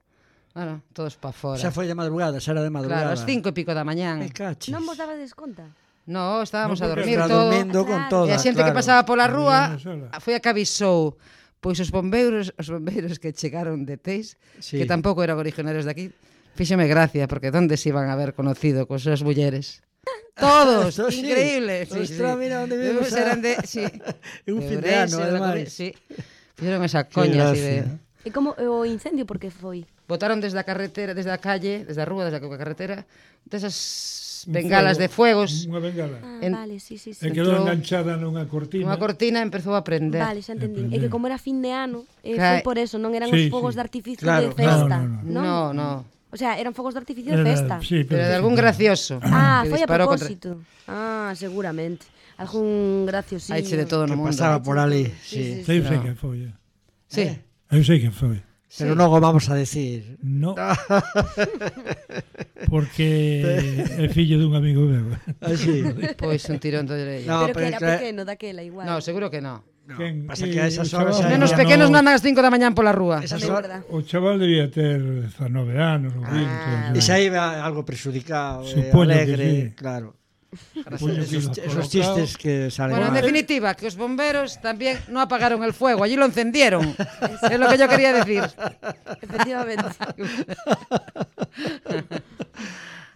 Bueno, todos pa fora. Xa foi de madrugada, xa era de madrugada. Claro, ás cinco e pico da mañán. Me cachis. Non vos dabades conta? No, estábamos No, a porque dormir Está todo. dormindo con Claro. toda, E a xente claro. que pasaba pola rúa Dormía sola. foi a que avisou. Pois os bombeiros, os bombeiros que chegaron de Teis, Sí. que tampouco eran originarios de aquí, fíxeme gracia, porque onde se iban a haber conocido cos súas mulleres? Todos, Esto sí. increíble. Sí, Ostras, sí. mira onde Debemos vimos a- eran de, sí. É un de fin de Ourense, ano, da ademais. Coruña, sí. Fixeron esa coña así de... gracia. E como o incendio por que foi? Botaron desde a carretera, desde a calle, desde a rúa, desde a carretera, desas Un bengalas fuego, de fuegos. Unha bengala. Ah, En- vale, sí, sí, sí. E quedou entrou- enganchada nunha cortina. Unha cortina empezou a prender. Vale, xa entendín. É que como era fin de ano, eh, Claro. foi por eso, non eran Sí, os fogos sí. de artificio Claro, de festa, no, no, No, no. O sea, eran fogos de artificio de Era- festa. Sí, Pero de sí, algún sí. gracioso. Ah, que foi a disparou contra- propósito. Ah, seguramente. Algún graciosillo. Haiche de todo no Que mundo. pasaba por ali, Sí, sí. sí, Eu sei No. que foi. eh. Sí. Eu sei que foi. Pero non o vamos a decir. No. Porque é fillo dun amigo meu. Así. Pois un tirón de orella. No, Pero que pero era claro- pequeno daquela igual. No, seguro que no. No, Quen- pasa eh, que a esas o horas chaval- xa Nenos no. pequenos non andan ás cinco da mañán pola rúa. Esas É horas- verdad. O chaval debía ter dezanove anos ou vinte. E xa iba algo presudicado, eh, Supoño que alegre, sí. claro. Supoño que Esos, lo esos colocao. chistes que salen Bueno, en mal. definitiva, que os bomberos también no apagaron el fuego, allí lo encendieron. Es lo que yo quería decir. Efectivamente.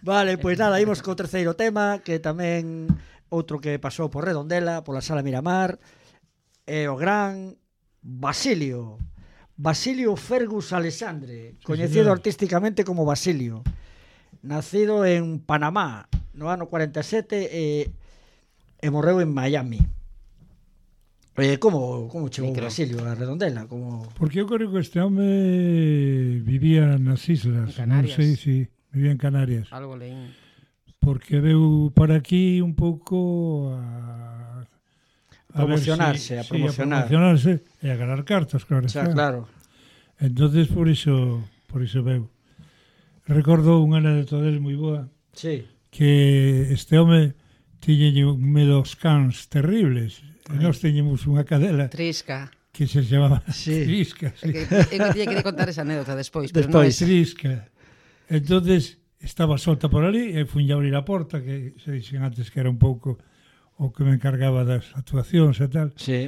Vale, pois nada, imos co terceiro tema, que tamén outro que pasou por Redondela, pola Sala Miramar, é o gran Basilio. Basilio Fergus Alexandre, coñecido señor. artísticamente como Basilio. Nacido en Panamá no ano cuarenta e sete e, e morreu en Miami. Eh, como, como chegou Micro. Basilio a Redondela? Como... Porque eu creo que este home vivía nas islas. En Canarias. Non sei si vivía en Canarias. Algo leín. Porque veu para aquí un pouco a... a Promocionarse, ver a promocionar. Sí, a promocionarse e a ganar cartas, claro. Xa, está. claro. Entonces por iso, por iso veu. Recordo unha anécdota del moi boa, Sí. que este home tiñe un medo aos cans terribles. E nós teñemos unha cadela Trisca. que se chamaba Sí. Trisca. É Sí. que, é que tiña que contar esa anécdota despois, pero non Despois. é Trisca. Entonces estaba solta por ali e fui a abrir a porta, que se dixen antes que era un pouco o que me encargaba das actuacións e tal. Sí.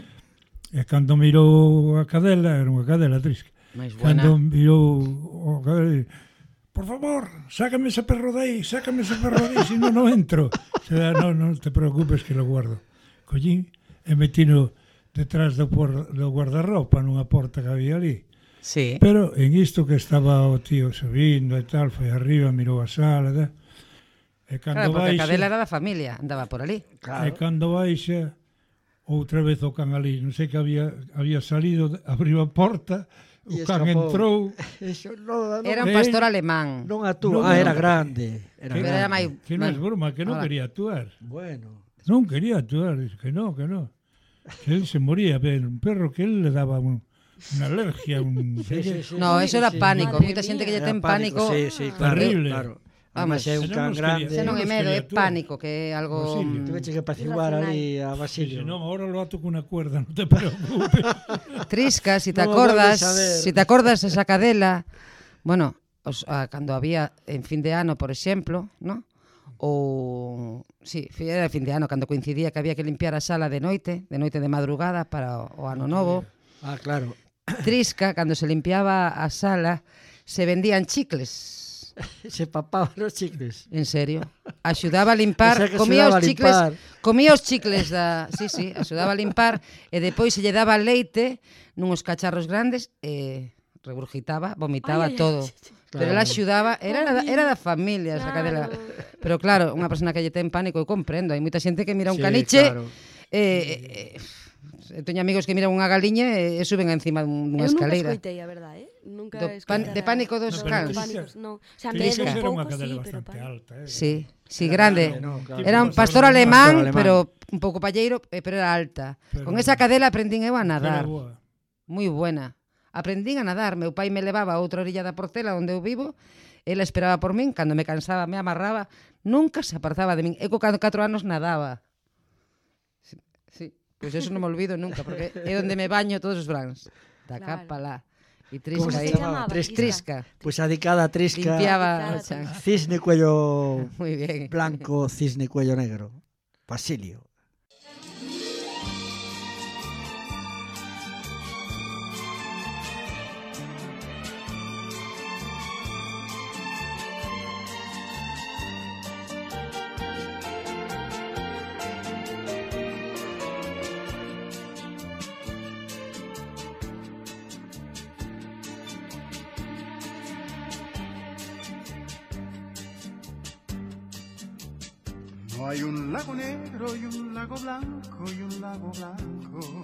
E cando mirou a cadela, era unha cadela Trisca. máis buena. Cando mirou o cadela, por favor, sácame ese perro de aí, sácame ese perro de aí, si non, non entro. Se da, non, non te preocupes que lo guardo. Collín e metino detrás do, por, do guardarropa nunha porta que había ali. Sí. Pero en isto que estaba o tío subindo e tal, foi arriba, mirou a sala, da, e cando Claro, porque a baixa, cadela era da familia, andaba por ali. e Claro. cando baixa, outra vez o can ali, non sei que había, había salido, abriu a porta, o E can escapou. entrou, Eso non, non, Era un Eh, pastor alemán. non actúa. non, ah, non. era grande. Era que, Pero era grande. máis- que non é bueno, broma, que non ahora. quería actuar. Bueno. Non quería actuar, dice que no, que no. Que él se moría, ver, un perro que él le daba un, unha alergia, un... Sí, sí, sí, No, sí, eso era sí. pánico. Madre Moita xente que lle Era ten pánico. Sí, sí, claro. Terrible. Claro. Vamos, é un can grande. Se non é medo, é pánico, que é algo... Tuveche que apaciguar ali a Basilio. Se non, ahora lo ato cunha cuerda, non te preocupes. Trisca, si te acordas, si te acordas esa cadela, bueno, os, a, cando había en fin de ano, por exemplo, ¿no? Ou, sí, era fin de ano, cando coincidía que había que limpiar a sala de noite, de noite de madrugada para o ano novo. Ah, claro. Trisca, cando se limpiaba a sala, se vendían chicles. Se papaban os chicles. En serio? Axudaba a limpar, O sea, comía os axudaba a chicles, limpar. comía os chicles da, sí, sí, axudaba a limpar e depois se lle daba leite nuns cacharros grandes e regurgitaba, vomitaba Ai, ai, todo. ai, ai, Pero ela axudaba, era da, era da familia esa cadela. Pero claro, unha persona que lle ten pánico, eu comprendo, hai moita xente que mira un Sí, caniche claro. e, e, e teño amigos que miran unha galiña e, e suben encima dunha escaleira. Eu nunca escoitei, a verdade, eh? Nunca Do pan, de pánico dos No, pero cans. Pánicos, no. O sea, Trisca medo un era unha pouco, cadela sí, pero bastante pánico. alta, eh. Sí, sí, grande. No, claro. Era un Tipo pastor pastor alemán, alemán. pero un pouco palleiro, eh, pero era alta. Pero- Con esa cadela aprendín eu a Era nadar. boa. Moi buena. Aprendín a nadar. Meu pai me levaba a outra orilla da Portela onde eu vivo. Ela esperaba por min. Cando me cansaba, me amarraba. Nunca se apartaba de min. Eu con catro anos nadaba. Sí, sí. Pois eso non me olvido nunca, porque é onde me baño todos os verans. Da Claro. capa lá. E Como Trisca se aí. chamaba? Trisca. Trisca. Pois a dicada Trisca, Limpiaba o Cada chan. cisne cuello Moi bien. blanco, cisne cuello negro. Basilio. No hay un lago negro y un lago blanco y un lago blanco.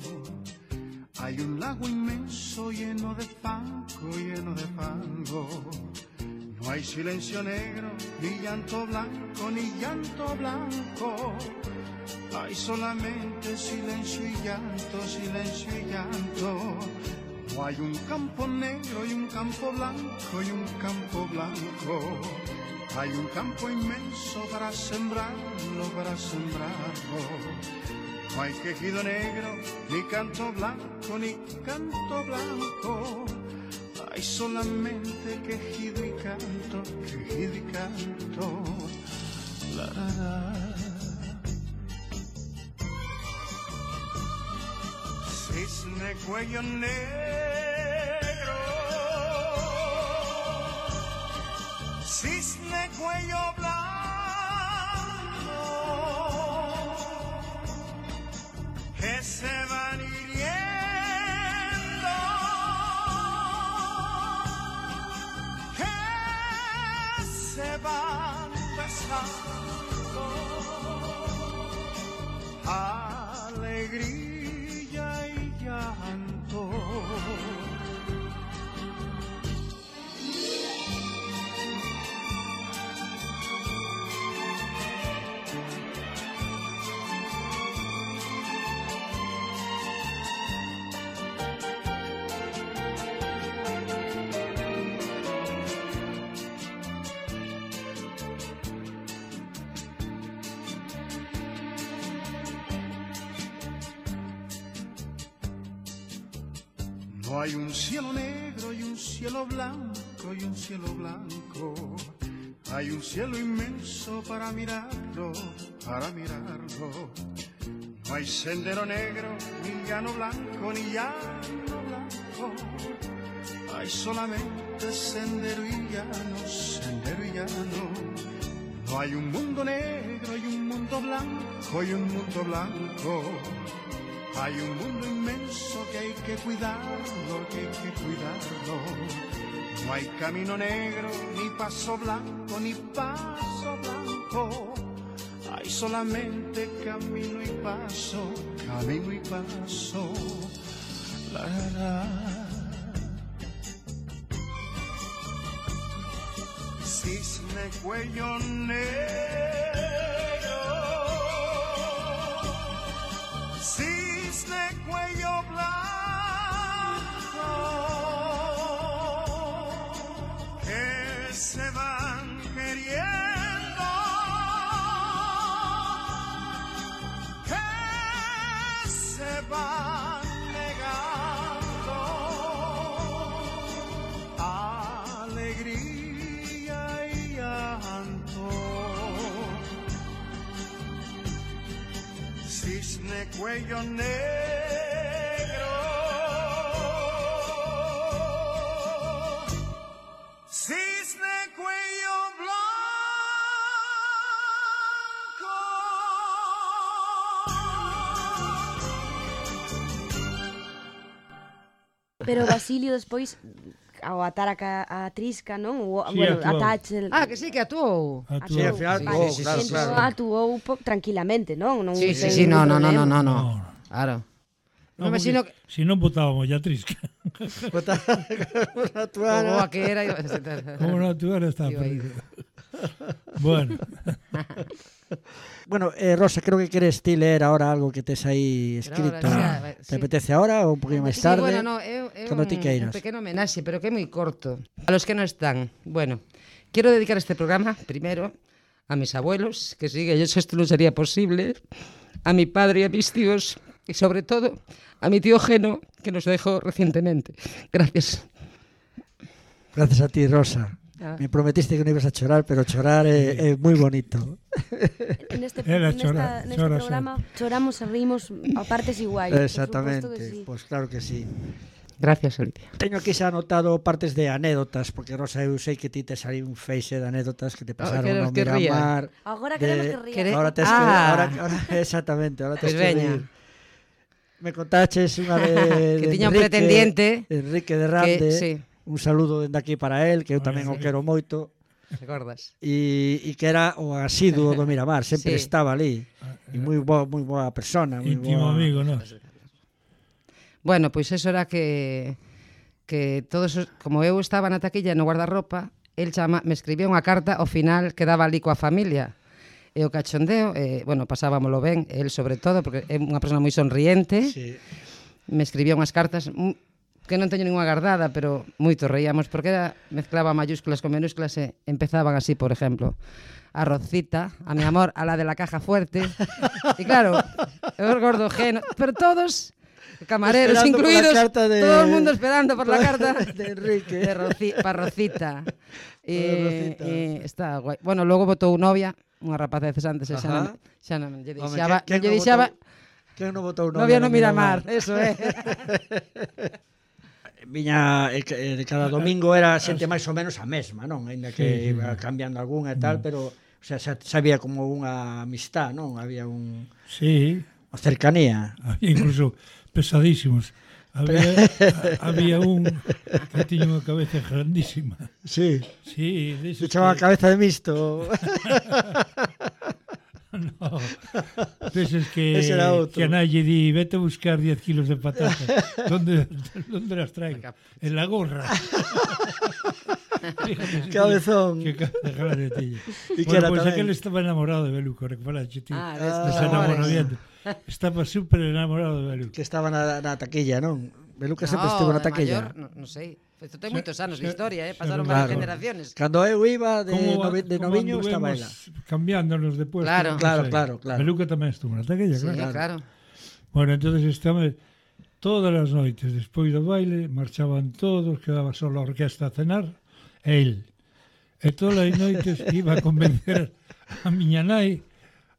Hay un lago inmenso lleno de fango, lleno de fango. No hay silencio negro, ni llanto blanco, ni llanto blanco. Hay solamente silencio y llanto, silencio y llanto. No hay un campo negro y un campo blanco y un campo blanco. Hay un campo inmenso para sembrarlo, para sembrarlo. No hay quejido negro, ni canto blanco, ni canto blanco. Hay solamente quejido y canto, quejido y canto. La, la, la. Cisne cuello negro, cisne cuello blanco, que se van hiriendo, que se van besando, alegría y llanto. No hay un cielo negro y un cielo blanco y un cielo blanco. Hay un cielo inmenso para mirarlo, para mirarlo. No hay sendero negro, ni llano blanco, ni llano blanco. Hay solamente sendero y llano, sendero y llano. No hay un mundo negro y un mundo blanco y un mundo blanco. Hay un mundo inmenso que hay que cuidarlo, que hay que cuidarlo. No hay camino negro, ni paso blanco, ni paso blanco. Hay solamente camino y paso, camino y paso. La, la, la. Cisne cuello negro, cisne cuello blanco, que se van queriendo. van negando alegría y llanto. Cisne cuello negro, cisne cuello blanco. Pero Basilio despois ao atar a, ca, a Trisca, non? O, Sí, bueno, actuou. a Tachel. Ah, que sí, que actuou. Actuou. Sí, ao final, Vale, actuou, sí, sí, claro, sí, claro. Entón, actuou po- tranquilamente, non? non Sí, sí, ten sí, no, ningún no, no, no, problema. no, no. No, no. Claro. No, Non me porque sino que... si non botábamos ya Trisca. A actuar, Como a que era... Como non actuar está Iba aí. perdido. Bueno, Bueno, eh, Rosa, creo que queres ti leer ahora algo que tes aí escrito. Pero ahora, ¿Te sí. apetece ahora ou un poquinho máis Sí, tarde? bueno, no, é, é Cando un, ti queiras. un pequeno homenaxe, pero que é moi corto. A los que no están. Bueno, quiero dedicar este programa, primero, a mis abuelos, que sin ellos esto no sería posible, a mi padre y a mis tíos, y sobre todo, a mi tío Geno, que nos dejó recientemente. Gracias. Gracias a ti, Rosa. Ah. Me prometiste que non ibas a chorar, pero chorar é, é moi bonito. Neste, Era nesta, chora- neste chora programa choramos e rimos a partes iguais. por Exactamente, suposto que sí. pois pues claro que sí. Gracias, Olivia. Teño aquí xa anotado partes de anécdotas, porque Rosa, eu sei que ti tes aí un feixe de anécdotas que te pasaron queres no que ría? Miramar. Agora de- queremos que ría. Quere- Ahora tes que, Ah. ahora, ahora, exactamente, ahora tes Pois que veña. rir. Me contaches unha de, Que de tiña un Enrique- pretendiente Enrique de Rande. que, sí, Un saludo dende aquí para él, que eu tamén o sí. quero moito. recordas? E, e que era o asiduo do Miramar, sempre Sí. estaba ali. E moi boa, moi boa persona, moi íntimo boa. amigo, ¿no? Bueno, pois eso era que que todos os, como eu estaba na taquilla no guardarropa, el chama, me escribía unha carta ao final que daba ali coa familia. E o cachondeo, eh, bueno, pasábamolo ben, el sobre todo, porque é unha persona moi sonriente, Sí. me escribía unhas cartas mm, que non teño ninguna guardada, pero moito reíamos, porque era, mezclaba mayúsculas con minúsculas e empezaban así, por exemplo, a Rosita, a mi amor, a la de la caja fuerte. E claro, eu gordo Geno, pero todos camareros Esperando por la incluidos, carta de- todo el mundo esperando por la carta de Enrique. de Roci, para Rosita. E, Rosita. e está guai. Bueno, logo botou novia, unha rapaza de cesantes, e xa non, Ajá. xa non lle Home, deixaba, quen- quen non lle non deixaba votou- Quen non votou novia novia no no Miramar, Miramar? eso é. Viña, eh, que, eh, cada domingo era xente máis ou menos a mesma, non? Ainda que Sí, sí. iba cambiando algunha e tal, pero o sea, xa, xa había como unha amistad, non? Había un, Sí, unha cercanía. había incluso pesadísimos. Había, a- había un que tiña unha cabeza grandísima. Sí. Sí, Se deses chama que, cabeza de misto. no, deses que, Ese era outro. que a nadie di, vete a buscar diez kilos de patatas. ¿Dónde, ¿Dónde las traigo? En la gorra. Fíjate, Cabezón. Que cabeza grande tiña. E que Bueno, era pues tamén. aquel estaba enamorado de Beluco, recordaste, tío. Ah, Ah, des, Se enamoramiento. Estaba súper enamorado de Beluco. Que estaba na, na taquilla, non? Beluca sempre No, estivo na de taquilla. maior, no, non sei. Isto ten Se- moitos anos de se- historia, eh? se- Pasaron claro. varias generaciones. Cando eu iba de, Como- novi, de como noviño estaba ela. anduvemos cambiándonos de puesto. Claro. no Claro, sé. claro, claro. Beluca tamén estuvo na taquilla, Sí, claro. claro. Bueno, entonces estaba todas as noites despois do baile, marchaban todos, quedaba só a orquesta a cenar, e el. E todas as noites iba a convencer a miña nai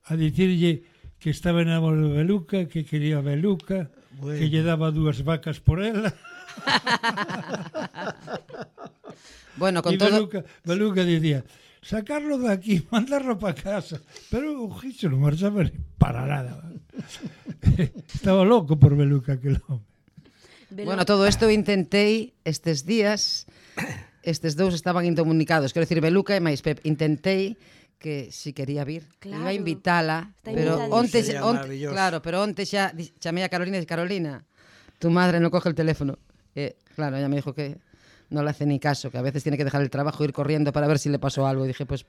a dicirlle que estaba enamorado de Beluca, que quería a Beluca, Bueno. que lle daba dúas vacas por ela. Bueno, con E todo... Beluca, Beluca dicía, sacarlo de aquí, mandarlo para casa. Pero o Gicho non marchaba ni para nada. Estaba loco por Beluca aquel home. Bueno, todo isto eu intentei estes días, estes dous estaban incomunicados, quero dicir, Beluca e máis Pep, intentei que si quería vir, Claro. iba a invitala, Está pero invitadísima. onte, Sería onte, maravilloso. claro, pero onte xa di- chamei a Carolina e dije, Carolina, tu madre non coge el teléfono. E, claro, ella me dijo que no le hace ni caso, que a veces tiene que dejar el trabajo e ir corriendo para ver si le pasó algo. Y dije, pues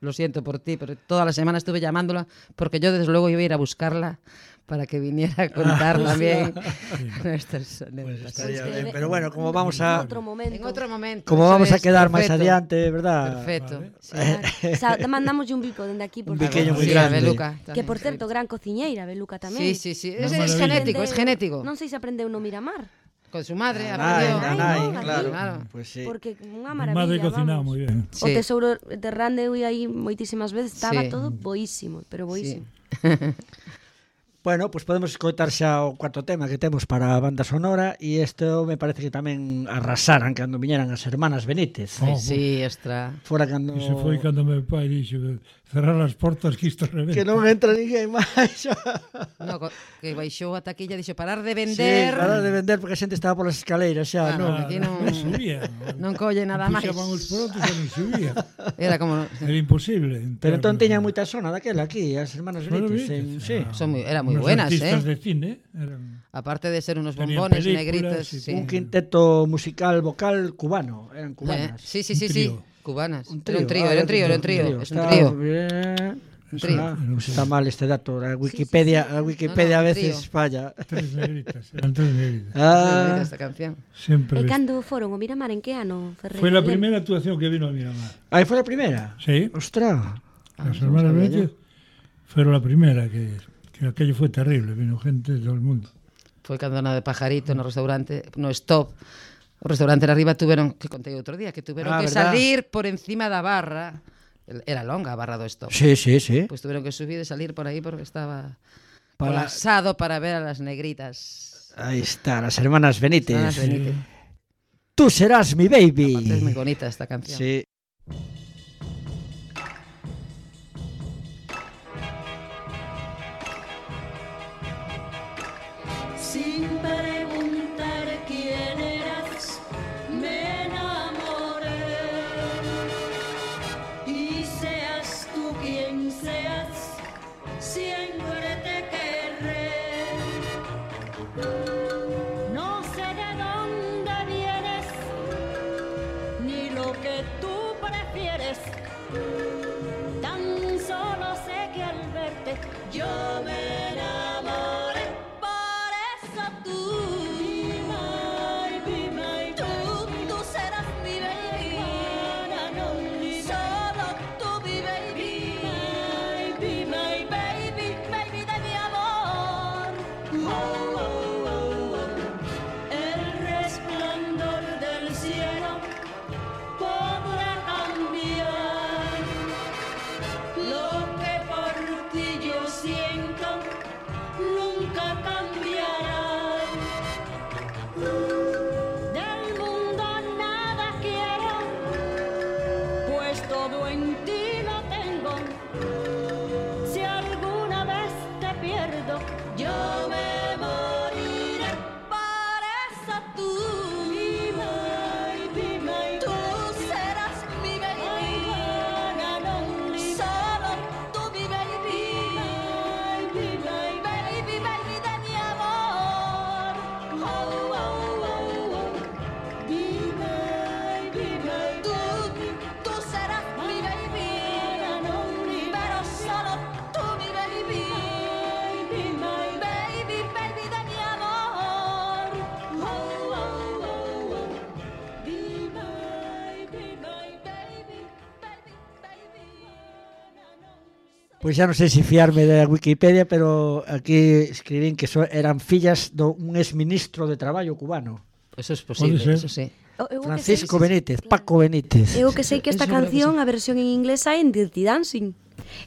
lo siento por ti, pero toda la semana estuve llamándola porque yo desde luego iba a ir a buscarla para que viniera a contar Ah, también sí. nuestras Pues anécdotas. estaría Pues, bien, eh, pero bueno, como vamos a... En otro momento. En otro momento. Como eso vamos a es, quedar máis perfecto. adiante, verdad? Perfecto. Vale. Sí. Claro. O sea, mandamos un bico dende aquí, por Un biqueño favor. moi Sí, a grande. Beluca. Que, por tamén, certo, gran cociñeira, Beluca tamén. Sí, sí, sí. Es, Una es maravilla. genético, es genético. Non sei se aprendeu no Miramar. Con su madre, A aprendió. nai, a Ai, nai, no, claro. claro. Pues sí. Porque unha Mi madre maravilla, cocinaba vamos. moi ben. O Sí. tesouro de Rande eu ia aí moitísimas veces, estaba Sí. todo boísimo, pero boísimo. Bueno, pues podemos escoitar xa o cuarto tema que temos para a banda sonora e isto me parece que tamén arrasaran cando viñeran as hermanas Benítez. Oh, Sí, ostra. Fora cando... Iso foi cando meu pai dixo cerrar as portas que isto reventa. Que non entra ninguén máis. No, co- que baixou a taquilla e dixo parar de Sí, vender. para de vender porque a xente estaba polas escaleiras xa, Claro, non? aquí non, Non subía. non colle nada máis. Puxaban os produtos e non subía. Era como Era imposible. Pero entrar entón no- teña moita zona daquela aquí, as hermanas Bueno, Benítez. En, Benítez, sí. ah. son moi, era moi Unos buenas, artistas eh. de cine eran... Aparte de ser unos Tenían bombones películas negritos, y sí. Un quinteto musical vocal cubano, eran Eh, cubanas. sí, sí, sí, Un sí. trío. Cubanas. Un Era un trío, ah, era un trío, era un trío. Es un Está trío. bien. Un trío. Ah, Era un pues trío. está mal este dato. La Wikipedia, sí, sí. la Wikipedia No, no, a un veces trío. falla. Tres negritas, eran tres negritas. Ah, Esta canción. Sempre. E ves- cando foron o Miramar, en que ano, Ferreira? Foi a primeira actuación que vino a Miramar. ahí fue la primera. Sí, Ostras. las no hermanas sabía Benítez fueron la primera, que, que aquello fue terrible, vino gente de todo el mundo. Foi cando na de Pajarito no restaurante, no Stop. O restaurante de arriba tuveron, que contei outro día, que tuveron Ah, que verdad. salir por encima da barra. Era longa a barra do Stop. Sí, sí, sí. Pues tuvieron que subir y salir por ahí porque estaba Para- colapsado para ver a las negritas. Ahí está, las hermanas Benítez. Hermanas Benítez. Tú serás mi baby. Aparte es muy bonita esta canción. Sí. Sin preguntar quién eras, me enamoré. Y seas tú quien seas, siempre te querré. No sé de dónde vienes, ni lo que tú prefieres. Tan solo sé que al verte yo me enamoré. Por eso tú, be my, be my, tú, tú serás mi baby. Solo tú mi baby. Be my, baby, baby de mi amor. Oh, oh, oh, oh. El resplandor del cielo podrá cambiar lo que por ti yo siento, nunca cambiará. Del mundo nada quiero, pues todo en ti lo tengo. Si alguna vez te pierdo, yo me moriré. Por eso tú, be my, be my, tú serás mi baby. Solo tú mi baby. Be my, baby, baby de mi amor. Oh, oh, oh, oh. Be my, be my, tú, tú serás mi baby. Pero solo tú mi baby. Be my, baby, baby de mi amor. Oh, oh, oh, oh. Be my, be my baby, baby, baby. Pois xa non sei se fiarme da Wikipedia, pero aquí escribín que so, eran fillas de un exministro de traballo cubano, Eso es posible, ser. eso sí. O- eu o que Francisco sei- Benítez, Paco Benítez. Eu que sei que esta Eso é verdade que canción, a versión en inglés hai en Dirty Dancing.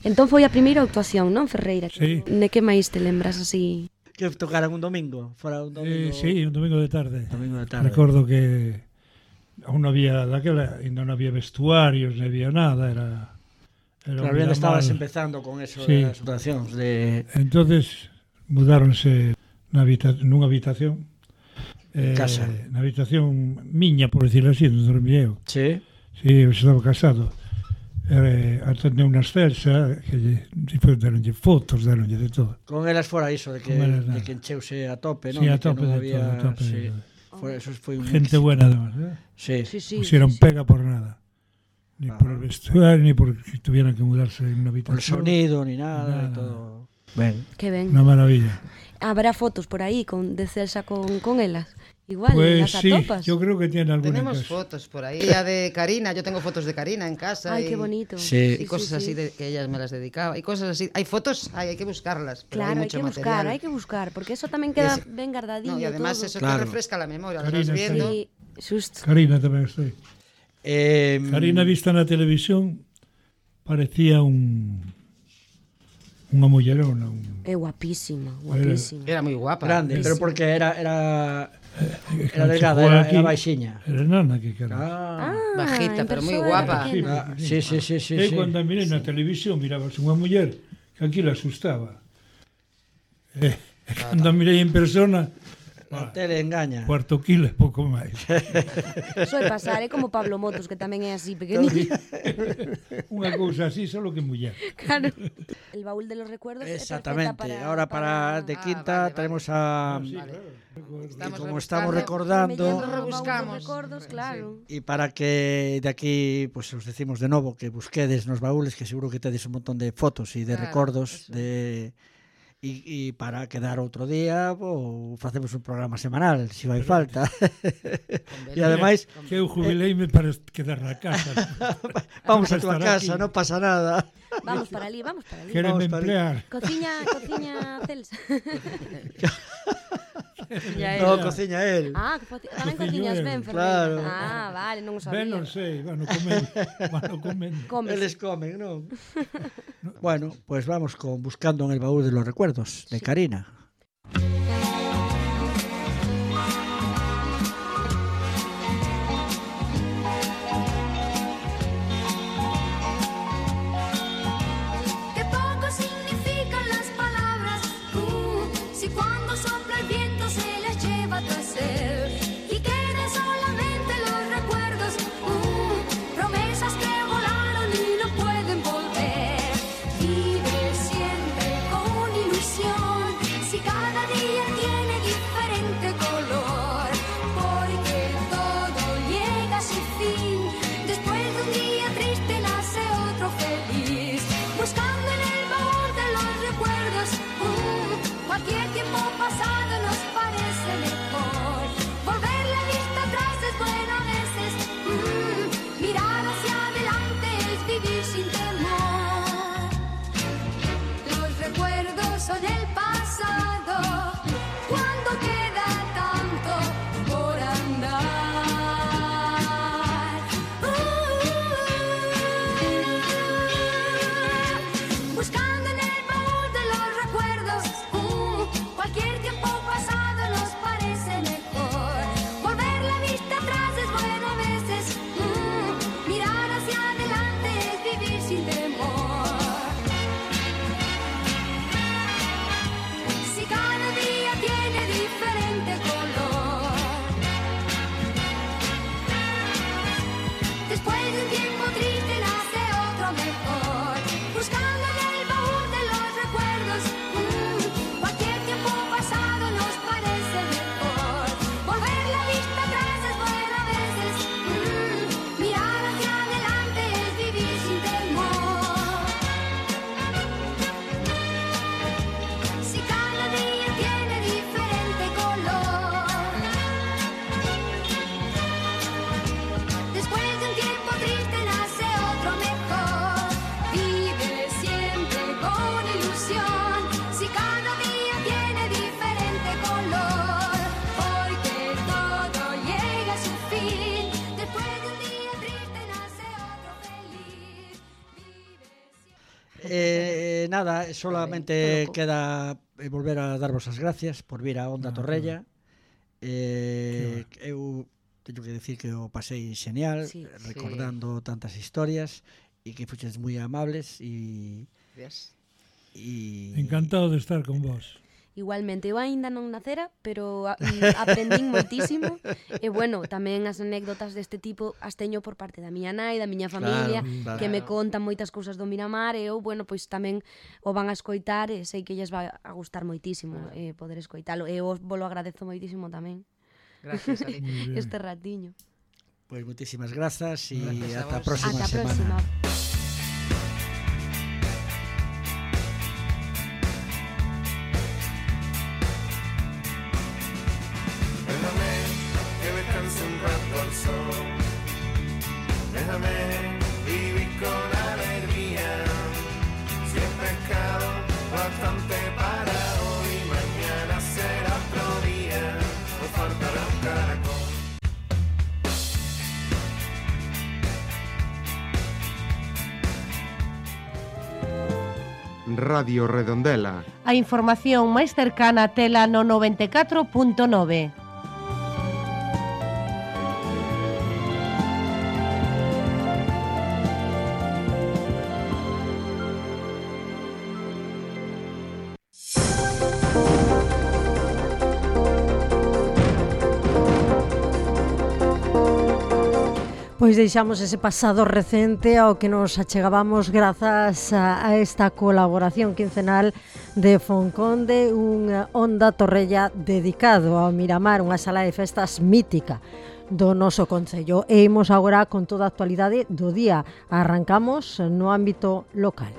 Entón foi a primeira actuación, non, Ferreira? Sí. De que máis te lembras así? Que tocaran un domingo, fora un domingo. Eh, sí, un domingo de tarde. Domingo de tarde. Recordo que aún non había, daquela, ainda non había vestuarios, non había nada, era... era Claro, un bien estabas Miramar. empezando con eso Sí. das actuacións de Entonces mudáronse na habita nunha habitación eh, casa. na habitación miña, por decirlo así, onde dormía eu. Sí. Sí, eu estaba casado. Eh, atendeu unha Celsa que lle, foi, deronlle fotos, deronlle de todo. Con elas fora iso de que, Con elas de nada. que encheuse a tope, non? Sí, a De que tope non de había, todo, a tope sí. de todo. Fora, eso foi un Gente éxito. buena además, ¿eh? Sí. Sí, sí. Pusieron sí, sí. pega por nada. Ni Ah. por el vestuario, ni por que tuvieran que mudarse en una Por el habitación. sonido ni nada, Nada. y todo. Ben. Que ben. Una maravilla. Habrá fotos por aí con, de Celsa con, con elas. Igual, Pues las sí, atopas. yo creo que tiene alguna Tenemos en casa. fotos por ahí. La de Karina, yo tengo fotos de Karina en casa. Ay, y, qué bonito. Sí. Y cosas así de, que ellas me las dedicaba. Y cosas así. Hay fotos, hay, hay que buscarlas. Pero Claro, hay hay mucho que buscar, material. hay que buscar, porque eso tamén queda ese- ben guardadillo No, y además todo. eso Claro. te refresca la memoria. Las Karina vas está viendo. Sí, xusto. Karina tamén estoy. Eh, Karina vista na televisión parecía un unha mullerona, un É guapísima, guapísima. Era muy guapa. grande, pero porque era era eh, era delgada, chegou era, aquí, era baixiña. Era nana que cara. Ah, Ah, Bajita, en pero moi persoa guapa. era pequena. ah, sí, sí, sí, sí, E sí. cando a mirei na televisión mirabas unha muller que aquí la asustaba. E, e cando a mirei en persona, La tele engaña. cuarto kilo e pouco máis. Soe pasar, é como Pablo Motos, que tamén é así pequeniño. Unha cousa así, solo que muller. Claro. El baúl de los recuerdos é Exactamente. perfecta para, Ahora para de Ah, quinta vale, vale. tenemos a Sí, Vale. claro. y Estamos como rebuscando. estamos Mellando recordando o baúl dos Rebuscamos. recordos, claro. y para que de aquí pues os decimos de novo que busquedes nos baúles que seguro que tedes un montón de fotos e de Claro, recordos eso. de e, e para quedar outro día ou facemos un programa semanal se si vai falta. E ademais Que eu jubileime para quedar na casa. vamos a para tua estar casa, aquí. non pasa nada. Vamos para ali, vamos para ali. Queren Vamos para emplear. Cociña, cociña Celsa. Ya No, era. cociña él. Ah, que foci- tamén Cociño cociñas el. ben, Claro. Ferreira. Ah, vale, non o sabía. Ben, non sei, bueno, comen, bueno, comen. Comes. Eles comen, non? Bueno, pues vamos con Buscando en el baúl de los recuerdos de Karina. Qué poco significan las palabras, uh, si cuando sopla el viento se las lleva tras él y quedan solamente los recuerdos, uh, promesas que volaron y no pueden volver. Vive siempre con ilusión, si cada día tiene diferente color, porque todo llega a su fin. Después de un día triste nace otro feliz. Buscando en el baúl de los recuerdos, uh, cualquier tiempo pasado nos parece mejor. Volver la vista atrás es bueno a veces, uh, mirar hacia adelante es vivir sin temor. Los recuerdos son el pasado, cuando queda tanto por andar. Uh, buscando en el baúl de los recuerdos, uh, cualquier tiempo pasado nos parece mejor. Volver la vista atrás es bueno a veces, uh, mirar hacia adelante es vivir sin temor. Si cada día tiene diferente color, después de un tiempo triste nace otro mejor. Buscando en el baúl de los recuerdos, mm, cualquier tiempo pasado nos parece mejor. Volver la vista atrás es bueno a veces, mm, mirar hacia adelante es vivir sin temor. Si cada día tiene diferente color, después de un tiempo triste nace otro mejor. Vive siempre con ilusión, si cada día tiene diferente color, porque todo llega a su fin. Después de un día triste nace otro feliz. Vive siempre. Eh, nada, solamente queda eh, volver a darvos as gracias por vir a Onda Ah, Torrella. Eh, eu teño que decir que o pasei xenial, Sí. recordando tantas historias e que fuches moi amables e Gracias. e Encantado de estar con vos. Igualmente, eu aínda non nacera, pero a, mm, aprendín moitísimo. E bueno, tamén as anécdotas deste tipo as teño por parte da miña nai, da miña familia, Claro, claro. que me contan moitas cousas do Miramar, e eu, bueno, pois tamén o van a escoitar e sei que lles vai a gustar moitísimo eh, poder escoitalo. E eu vos lo agradezo moitísimo tamén Gracias, Ali. Muy bien. este ratiño. pois moitísimas grazas e Gracias a ata a vos. próxima Ata a semana. próxima. Radio Redondela. A información máis cercana tela no noventa e catro punto nove. Pois deixamos ese pasado recente ao que nos achegábamos grazas a, a esta colaboración quincenal de Fonconde, unha Onda Torrella dedicado ao Miramar, unha sala de festas mítica do noso concello. E imos agora con toda a actualidade do día. Arrancamos no ámbito local.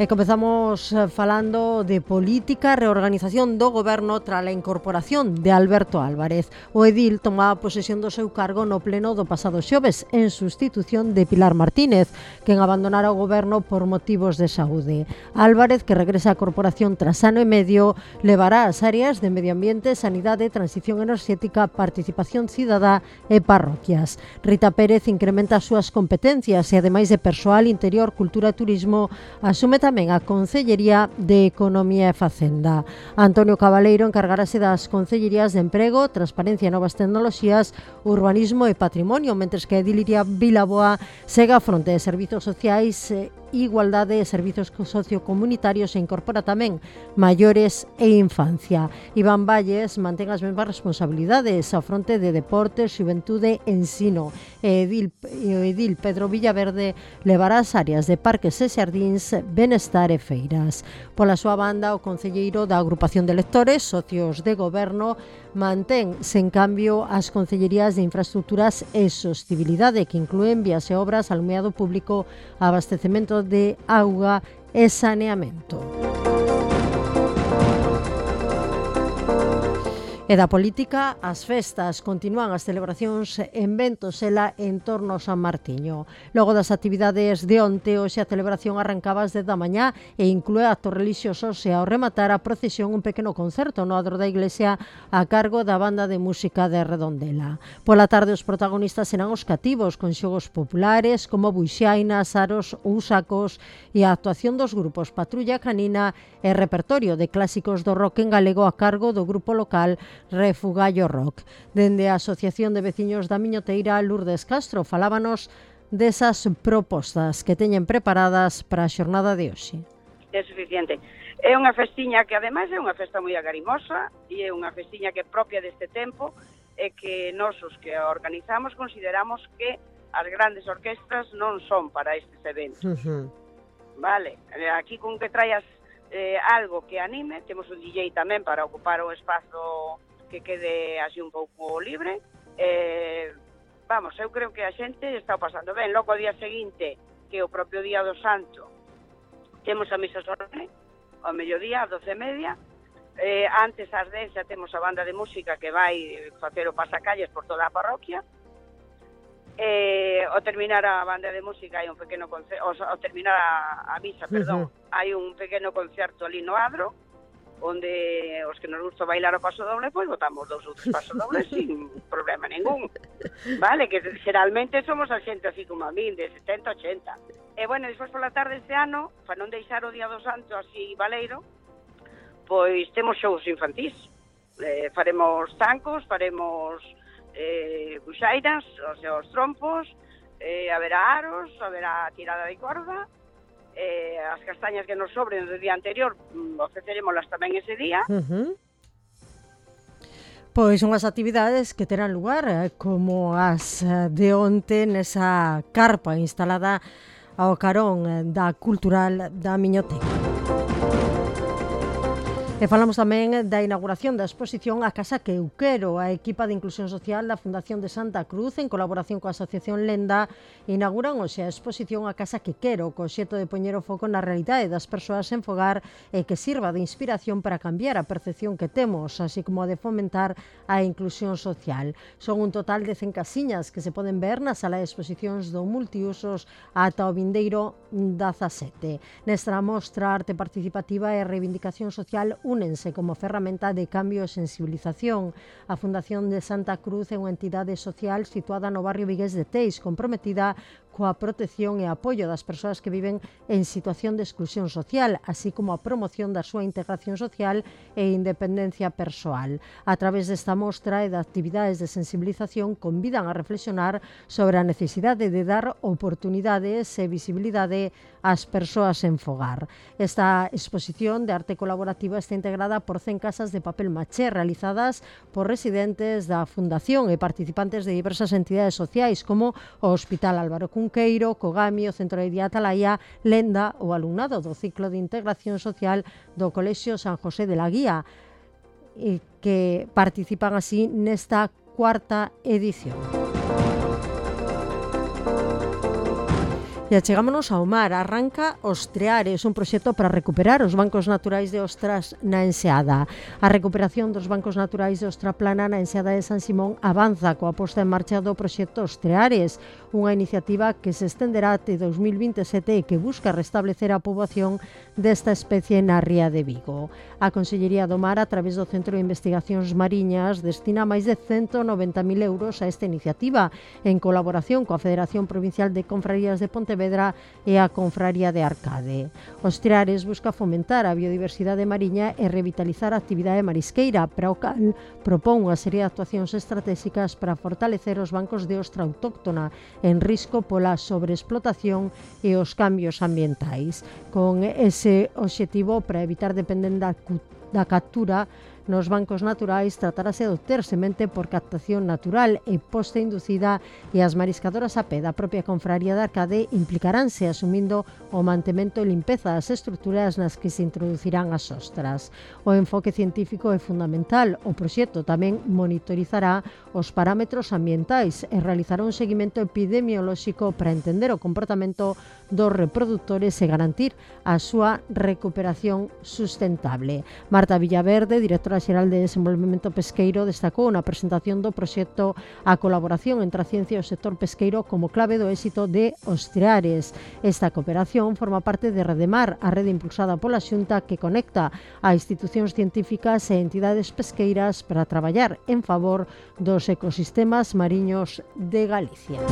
E comezamos falando de política, reorganización do goberno tras a incorporación de Alberto Álvarez. O edil tomaba posesión do seu cargo no pleno do pasado xoves en sustitución de Pilar Martínez, quen abandonara o goberno por motivos de saúde. Álvarez, que regresa á corporación tras ano e medio, levará as áreas de medio ambiente, sanidade, transición enerxética, participación cidadá e parroquias. Rita Pérez incrementa as súas competencias e, ademais de persoal, interior, cultura e turismo, asume tamén a Concellería de Economía e Facenda. Antonio Cabaleiro encargarase das Concellerías de Emprego, Transparencia e Novas Tecnoloxías, Urbanismo e Patrimonio, mentres que Ediliria Vilaboa segue a fronte de Servizos Sociais, Igualdade e Servizos Sociocomunitarios e incorpora tamén Maiores e Infancia. Iván Valles mantén as mesmas responsabilidades ao fronte de Deportes, Xuventude e Ensino. E Edil, e Edil Pedro Villaverde levará as áreas de Parques e Xardíns, Benestar e Feiras. Pola súa banda, o concelleiro da Agrupación de Electores, Socios de Goberno, mantén sen cambio as concellerías de Infraestructuras e Sostibilidade, que inclúen vías e obras, alumeado público, abastecemento de auga e saneamento. E da política, as festas continúan as celebracións en Ventosela en torno ao San Martiño. Logo das actividades de onte, hoxe a celebración arrancaba ás dez da mañá e inclúe actos relixiosos e ao rematar a procesión un pequeno concerto no adro da iglesia a cargo da banda de música de Redondela. Pola tarde os protagonistas serán os cativos con xogos populares como buixainas, aros ou sacos e a actuación dos grupos Patrulla Canina e repertorio de clásicos do rock en galego a cargo do grupo local Refugallo Rock. Dende a Asociación de Veciños da Miñoteira, Lourdes Castro falábanos desas propostas que teñen preparadas para a xornada de hoxe. É suficiente. É unha festiña que ademais é unha festa moi agarimosa e é unha festiña que é propia deste tempo e que nós os que a organizamos consideramos que as grandes orquestras non son para estes eventos. Uh-huh. Vale, aquí con que traias eh, algo que anime, temos un D J tamén para ocupar o espazo que quede así un pouco libre. Eh, vamos, eu creo que a xente está pasando ben. Logo o día seguinte, que é o propio día do Santo, temos a misa solemne, ao mediodía, ás doce e media. Eh, antes, ás dez, xa temos a banda de música que vai facer o pasacalles por toda a parroquia. Eh, ao terminar a banda de música hai un pequeno concerto, ao terminar a, a misa, perdón, uh-huh. hai un pequeno concerto ali no adro, onde os que nos gusta bailar o paso doble, pois botamos dous outros pasos dobles sin problema ningún. Vale, que xeralmente somos a xente así como a min, de setenta, ochenta. E, bueno, despois pola tarde este ano, para non deixar o Día do Santo así baleiro, pois temos xogos infantís. Eh, faremos zancos, faremos eh, buxairas, o sea, os trompos, eh, haberá aros, haberá tirada de corda, eh, as castañas que nos sobren do día anterior, ofrecerémolas tamén ese día. Uh-huh. Pois unhas actividades que terán lugar eh, como as de onte nesa carpa instalada ao carón da Cultural da Miñoteca. E falamos tamén da inauguración da exposición A Casa que eu quero. A equipa de Inclusión Social da Fundación de Santa Cruz, en colaboración coa Asociación Lenda, inauguran hoxe a exposición A Casa que quero, co xeito de poñer o foco na realidade das persoas en fogar e que sirva de inspiración para cambiar a percepción que temos, así como a de fomentar a inclusión social. Son un total de cen casiñas que se poden ver na sala de exposicións do Multiusos ata o vindeiro dezasete. Nesta mostra, arte participativa e reivindicación social únense como ferramenta de cambio e sensibilización. A Fundación de Santa Cruz é unha entidade social situada no barrio vigués de Teis, comprometida coa protección e apoio das persoas que viven en situación de exclusión social, así como a promoción da súa integración social e independencia persoal. A través desta mostra e de actividades de sensibilización convidan a reflexionar sobre a necesidade de dar oportunidades e visibilidade ás persoas en fogar. Esta exposición de arte colaborativa está integrada por cen casas de papel maché realizadas por residentes da Fundación e participantes de diversas entidades sociais como o Hospital Álvaro Cunqueiro, Cogami, o Centro de Día Atalaya, Lenda ou alumnado do ciclo de integración social do Colexio San José de la Guía, e que participan así nesta cuarta edición. E achegámonos ao mar. Arranca Ostreares, un proxecto para recuperar os bancos naturais de ostras na Enseada. A recuperación dos bancos naturais de ostra plana na Enseada de San Simón avanza coa posta en marcha do proxecto Ostreares, unha iniciativa que se estenderá até dos mil vinte e sete e que busca restablecer a poboación desta especie na ría de Vigo. A Consellería do Mar, a través do Centro de Investigacións Mariñas, destina máis de ciento noventa mil euros a esta iniciativa, en colaboración coa Federación Provincial de Confrarías de Pontevedra e a Confraría de Arcade. Ostreares busca fomentar a biodiversidade mariña e revitalizar a actividade marisqueira, para o cal propón unha serie de actuacións estratégicas para fortalecer os bancos de ostra autóctona en risco pola sobreexplotación e os cambios ambientais. Con ese obxectivo, para evitar depender da, da captura nos bancos naturais, tratarase de obter semente por captación natural e posta inducida, e as mariscadoras a pé da propia Confraría de Arcade implicaránse asumindo o mantemento e limpeza das estruturas nas que se introducirán as ostras. O enfoque científico é fundamental. O proxecto tamén monitorizará os parámetros ambientais e realizará un seguimento epidemiolóxico para entender o comportamento dos reprodutores e garantir a súa recuperación sustentable. Marta Villaverde, directora xeral de Desenvolvemento Pesqueiro, destacou na presentación do proxecto a colaboración entre a ciencia e o sector pesqueiro como clave do éxito de Ostreares. Esta cooperación forma parte de Redemar, a rede impulsada pola Xunta que conecta a institucións científicas e entidades pesqueiras para traballar en favor dos ecosistemas mariños de Galicia.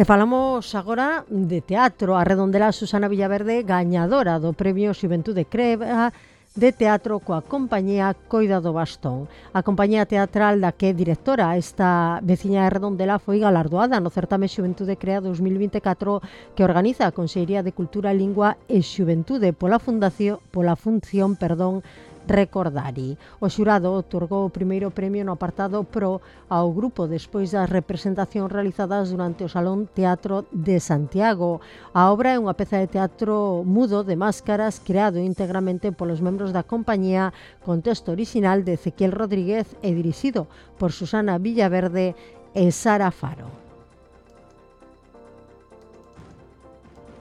E falamos agora de teatro. A redondela Susana Villaverde, gañadora do Premio Xuventude Creva de teatro coa compañía Coida do Bastón. A compañía teatral da que é directora, esta veciña de Redondela, foi galardoada no certame Xuventude Crea dos mil vinte e catro que organiza a Consellería de Cultura, Lingua e Xuventude pola fundación, pola función, perdón, Recordari. O xurado otorgou o primeiro premio no apartado Pro ao grupo despois das representacións realizadas durante o Salón Teatro de Santiago. A obra é unha peza de teatro mudo de máscaras creado íntegramente polos membros da compañía, con texto orixinal de Ezequiel Rodríguez e dirixido por Susana Villaverde e Sara Faro.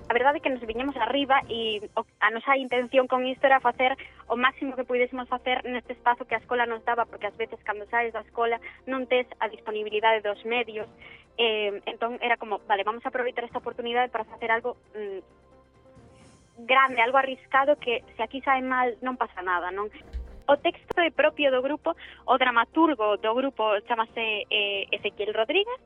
A verdade é que nos viñemos arriba e a nosa intención con isto era facer o máximo que pudésemos facer neste espazo que a escola nos daba, porque ás veces cando saes da escola non tes a disponibilidade dos medios, eh, entón era como, vale, vamos a aproveitar esta oportunidade para facer algo mm, grande, algo arriscado, que se aquí sae mal non pasa nada, non? O texto é propio do grupo, o dramaturgo do grupo chamase eh, Ezequiel Rodríguez,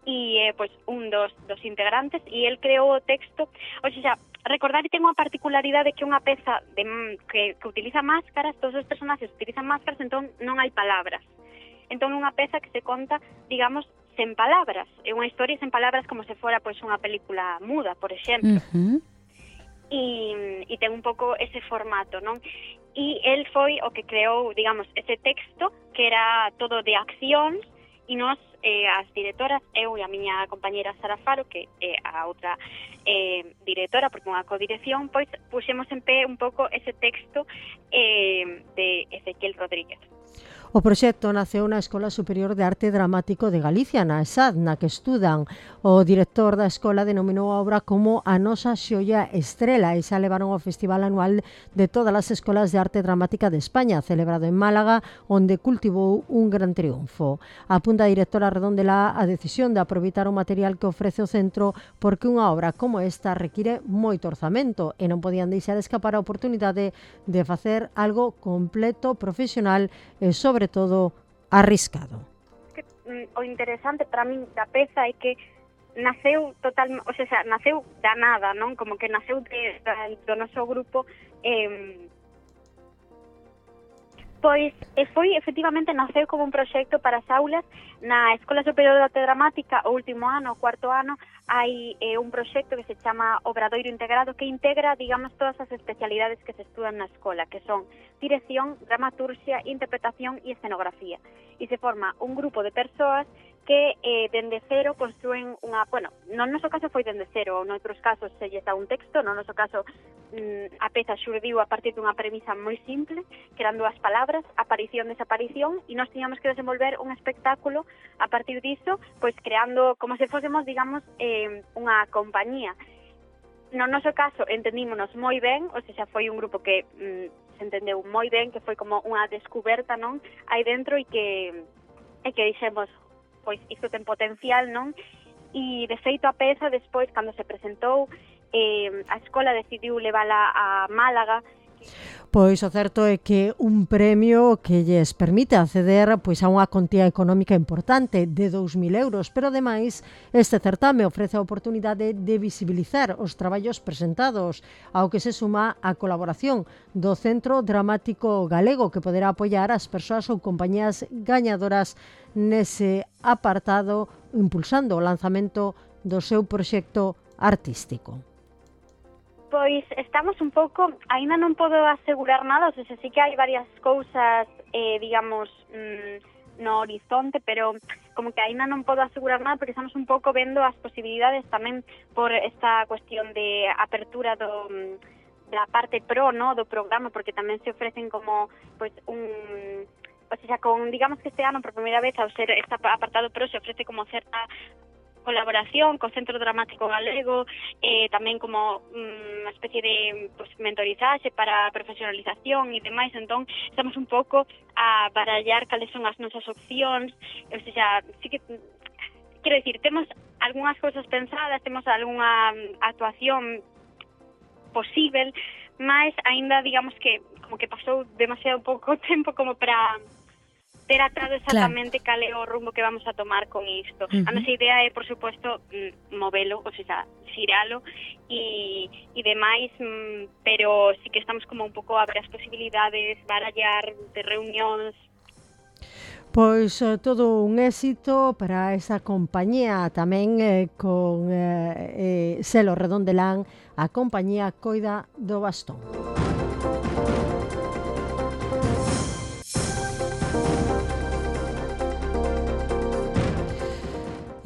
e é pois un dos, dos integrantes, e el creou o texto. O sea, recordar que ten unha particularidade que unha peza de, que, que utiliza máscaras, todos os personaxes utilizan máscaras, entón non hai palabras. Entón unha peza que se conta, digamos, sen palabras. É unha historia sen palabras, como se fora pois unha película muda, por exemplo. Uh-huh. E, e ten un pouco ese formato, non? E el foi o que creou, digamos, ese texto que era todo de accións, e nós, eh, as directoras, eu e a miña compañera Sara Faro, que é a outra eh, directora, porque unha codirección, pois puxemos en pé un pouco ese texto eh, de Ezequiel Rodríguez. O proxecto naceu na Escola Superior de Arte Dramático de Galicia, na ESAD, na que estudan. O director da escola denominou a obra como a nosa xoia estrela e xa levaron ao Festival Anual de todas as escolas de arte dramática de España, celebrado en Málaga, onde cultivou un gran triunfo. Apunta a directora Redondela a decisión de aproveitar o material que ofrece o centro porque unha obra como esta require moito orzamento e non podían deixar escapar a oportunidade de facer algo completo, profesional e sobre todo arriscado. Que, mm, o interesante para min da peza é que naceu total, o sea, naceu da nada, non? Como que naceu de, de, do noso grupo eh, pois e foi, efectivamente, naceu como un proxecto para as aulas na Escola Superior de Arte Dramática, o último ano, o cuarto ano, hai eh, un proxecto que se chama Obradoiro Integrado que integra, digamos, todas as especialidades que se estudan na escola, que son dirección, dramaturgia, interpretación e escenografía. E se forma un grupo de persoas que eh, dende cero construen unha, bueno, no noso caso foi dende cero, noutros casos se lle dá un texto, no noso caso mm, a peza xurdiu a partir dunha premisa moi simple, que eran dúas palabras, aparición, desaparición, e nós tiñamos que desenvolver un espectáculo a partir diso, pois creando como se fósemos, digamos, eh, unha compañía. No noso caso entendímonos moi ben, ou seja, foi un grupo que mm, se entendeu moi ben, que foi como unha descuberta, non, aí dentro e que e que dixemos, pois isto ten potencial, non? E de feito a peza despois, cando se presentou, eh, a escola decidiu levala a Málaga. Pois o certo é que un premio que lles permite acceder pois a unha contía económica importante de dous mil euros, pero ademais este certame ofrece a oportunidade de visibilizar os traballos presentados, ao que se suma a colaboración do Centro Dramático Galego, que poderá apoiar as persoas ou compañías gañadoras nese apartado, impulsando o lanzamento do seu proxecto artístico. Pois estamos un pouco, aínda non podo asegurar nada, o sea, sí que hai varias cousas, eh, digamos, mm, no horizonte, pero como que aínda non podo asegurar nada porque estamos un pouco vendo as posibilidades tamén por esta cuestión de apertura do, da parte pro, no, do programa, porque tamén se ofrecen como, pois, un... O sea, con, digamos que este ano, por primeira vez, ao ser este apartado pro, se ofrece como certa colaboración co Centro Dramático Galego, eh, tamén como unha mm, especie de pues, mentorizaxe para profesionalización e demais, entón estamos un pouco a barallar cales son as nosas opcións, o sea, sí que, quero dicir, temos algunhas cousas pensadas, temos algunha actuación posible, mas aínda, digamos que, como que pasou demasiado pouco tempo como para ter atado exactamente claro. Cal é o rumbo que vamos a tomar con isto. Uh-huh. A nosa idea é, por suposto, movelo, ou sea, xiralo e, e demais, pero sí que estamos como un pouco a ver as posibilidades, barallar de reunións. Pois eh, todo un éxito para esa compañía, tamén eh, con eh, eh, selo Redondelán, a compañía Coida do Bastón.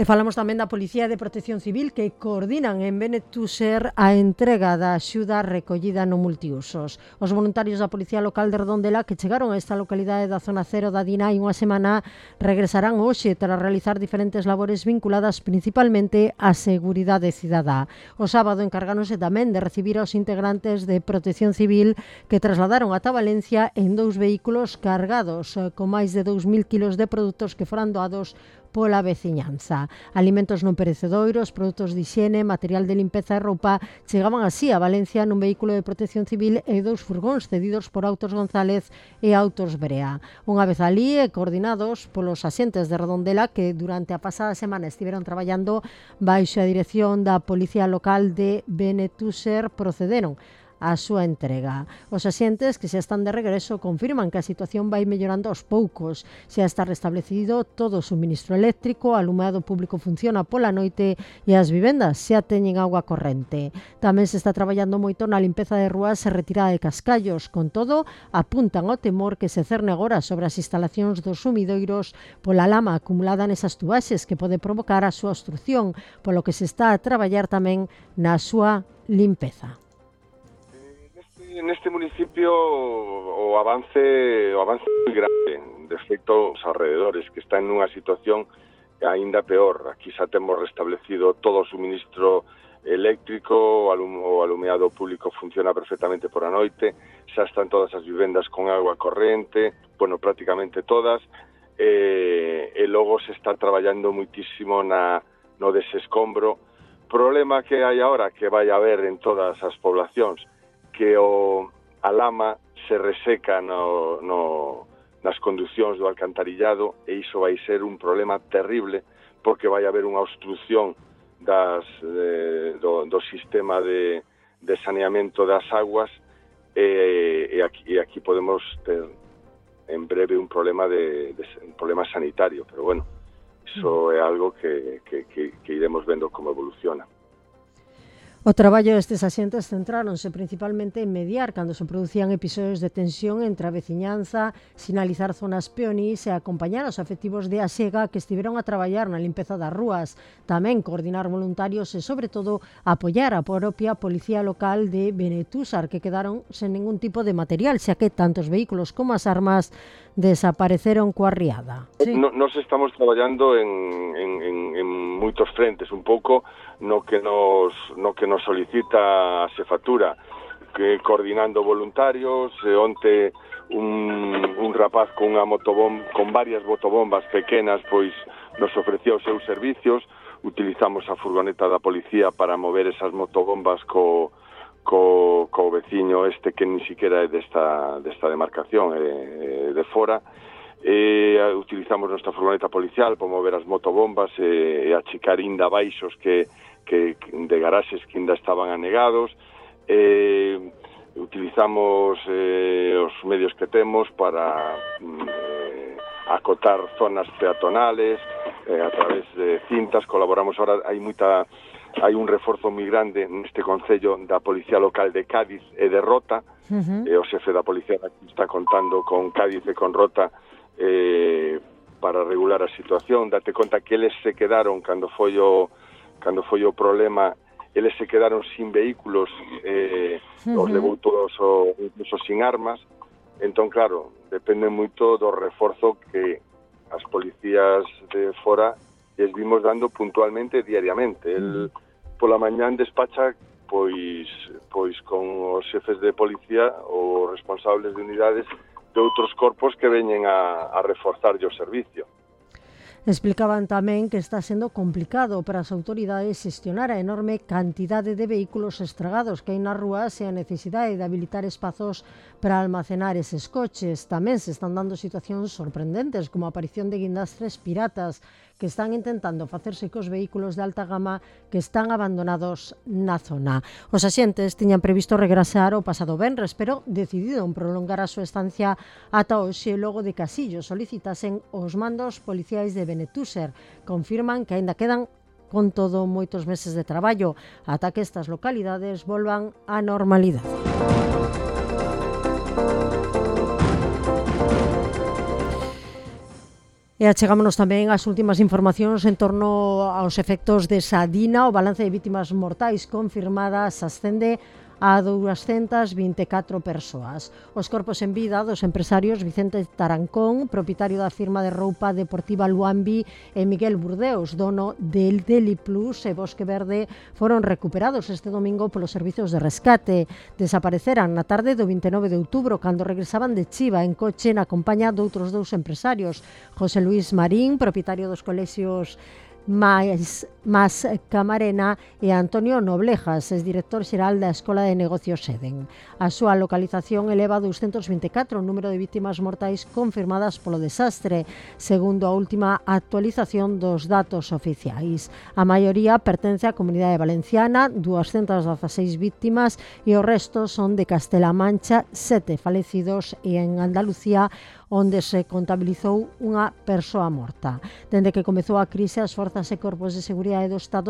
E falamos tamén da Policía de Protección Civil que coordinan en Benetúser a entrega da axuda recollida no multiusos. Os voluntarios da Policía Local de Redondela que chegaron a esta localidade da zona cero da Dina hai unha semana regresarán hoxe para realizar diferentes labores vinculadas principalmente á seguridade cidadá. O sábado encargáronse tamén de recibir aos integrantes de Protección Civil que trasladaron ata Valencia en dous vehículos cargados con máis de dous mil kilos de produtos que foran doados pola veciñanza. Alimentos non perecedoiros, produtos de higiene, material de limpeza e roupa chegaban así a Valencia nun vehículo de Protección Civil e dous furgóns cedidos por Autos González e Autos Brea. Unha vez alí e coordinados polos axentes de Redondela que durante a pasada semana estiveron traballando baixo a dirección da Policía Local de Benetúser, procederon a súa entrega. Os axentes que xa están de regreso confirman que a situación vai mellorando aos poucos. Xa está restablecido todo o suministro eléctrico, o alumado público funciona pola noite e as vivendas xa teñen agua corrente. Tamén se está traballando moito na limpeza de rúas e retirada de cascallos. Con todo, apuntan ao temor que se cerne agora sobre as instalacións dos sumidoiros pola lama acumulada nesas tubaxes que pode provocar a súa obstrucción, polo que se está a traballar tamén na súa limpeza. En este municipio o avance o avance moi grande de feito, os alrededores, que están nunha situación aínda peor. Aquí xa temos restablecido todo o suministro eléctrico, o, alum o alumeado público funciona perfectamente por a noite, xa están todas as vivendas con agua corrente, bueno, prácticamente todas, e, e logo se está traballando muitísimo na, no desescombro. Problema que hai agora, que vai haber en todas as poblacións, que o, a lama se reseca no, no, nas conducións do alcantarillado, e iso vai ser un problema terrible, porque vai haber unha obstrucción das, de, do, do sistema de, de saneamento das aguas, e, e, aquí, e aquí podemos ter en breve un problema de, de un problema sanitario, pero bueno, iso é algo que, que, que, que iremos vendo como evoluciona. O traballo destes axentes centráronse principalmente en mediar cando se producían episodios de tensión entre a veciñanza, sinalizar zonas peonís e acompañar os afectivos de Asega que estiveron a traballar na limpeza das rúas, tamén coordinar voluntarios e, sobre todo, apoiar a propia Policía Local de Benetúsar, que quedaron sen ningún tipo de material, xa que tantos vehículos como as armas desapareceron coa riada. Sí. No, nos estamos traballando en, en, en, en moitos frentes, un pouco no que nos no que nos solicita a xefatura, que coordinando voluntarios, e onte un, un rapaz con unha motobomba, con varias motobombas pequenas, pois nos ofreceu os seus servicios, utilizamos a furgoneta da policía para mover esas motobombas co co, co veciño este que ni siquiera é desta, desta demarcación, é, é de fora, e utilizamos nosa furgoneta policial para mover as motobombas e, e achicar inda baixos que, que de garaxes que ainda estaban anegados, e utilizamos eh, os medios que temos para eh, acotar zonas peatonales eh, a través de cintas. Colaboramos ahora, hai moita hai un reforzo moi grande neste concello da Policía Local de Cádiz e de Rota. Uh-huh. E o xefe da Policía está contando con Cádiz e con Rota eh, para regular a situación. Date conta que eles se quedaron, cando foi o, cando foi o problema, eles se quedaron sin vehículos, eh, uh-huh. os levou todos o, incluso sin armas. Entón, claro, depende moito do reforzo que as policías de fora les vimos dando puntualmente diariamente. El pola mañán despacha pois pois con os xefes de policía ou responsables de unidades de outros corpos que veñen a, a reforzar o servicio. Explicaban tamén que está sendo complicado para as autoridades xestionar a enorme cantidade de vehículos estragados que hai nas rúas e a necesidade de habilitar espazos para almacenar eses coches. Tamén se están dando situacións sorprendentes, como a aparición de guindastres piratas que están intentando facerse cos vehículos de alta gama que están abandonados na zona. Os axentes tiñan previsto regresar o pasado venres, pero decidiron prolongar a súa estancia ata hoxe logo de que Casillo solicitasen os mandos policiais de Benetúsar. Confirman que aínda quedan con todo moitos meses de traballo ata que estas localidades volvan á normalidade. E achegámonos tamén ás últimas informacións en torno aos efectos de Sadina. O balance de vítimas mortais confirmadas ascende a doscientas vinte e catro persoas. Os corpos en vida dos empresarios Vicente Tarancón, propietario da firma de roupa deportiva Luambi, e Miguel Burdeos, dono del Deli Plus e Bosque Verde, foron recuperados este domingo polos servizos de rescate. Desapareceran na tarde do vinte e nove de outubro cando regresaban de Chiva en coche na compañía doutros dous empresarios, José Luis Marín, propietario dos colexios Mais, Mas Camarena, e Antonio Noblejas, es director xeral da Escola de Negocios Eden. A súa localización eleva a doscientas vinte e catro o número de vítimas mortais confirmadas polo desastre, segundo a última actualización dos datos oficiais. A maioría pertence á Comunidade Valenciana, doscientas dezaseis vítimas, e o resto son de Castela Mancha, sete falecidos, e en Andalucía, onde se contabilizou unha persoa morta. Dende que comezou a crise, as forzas e corpos de seguridade do Estado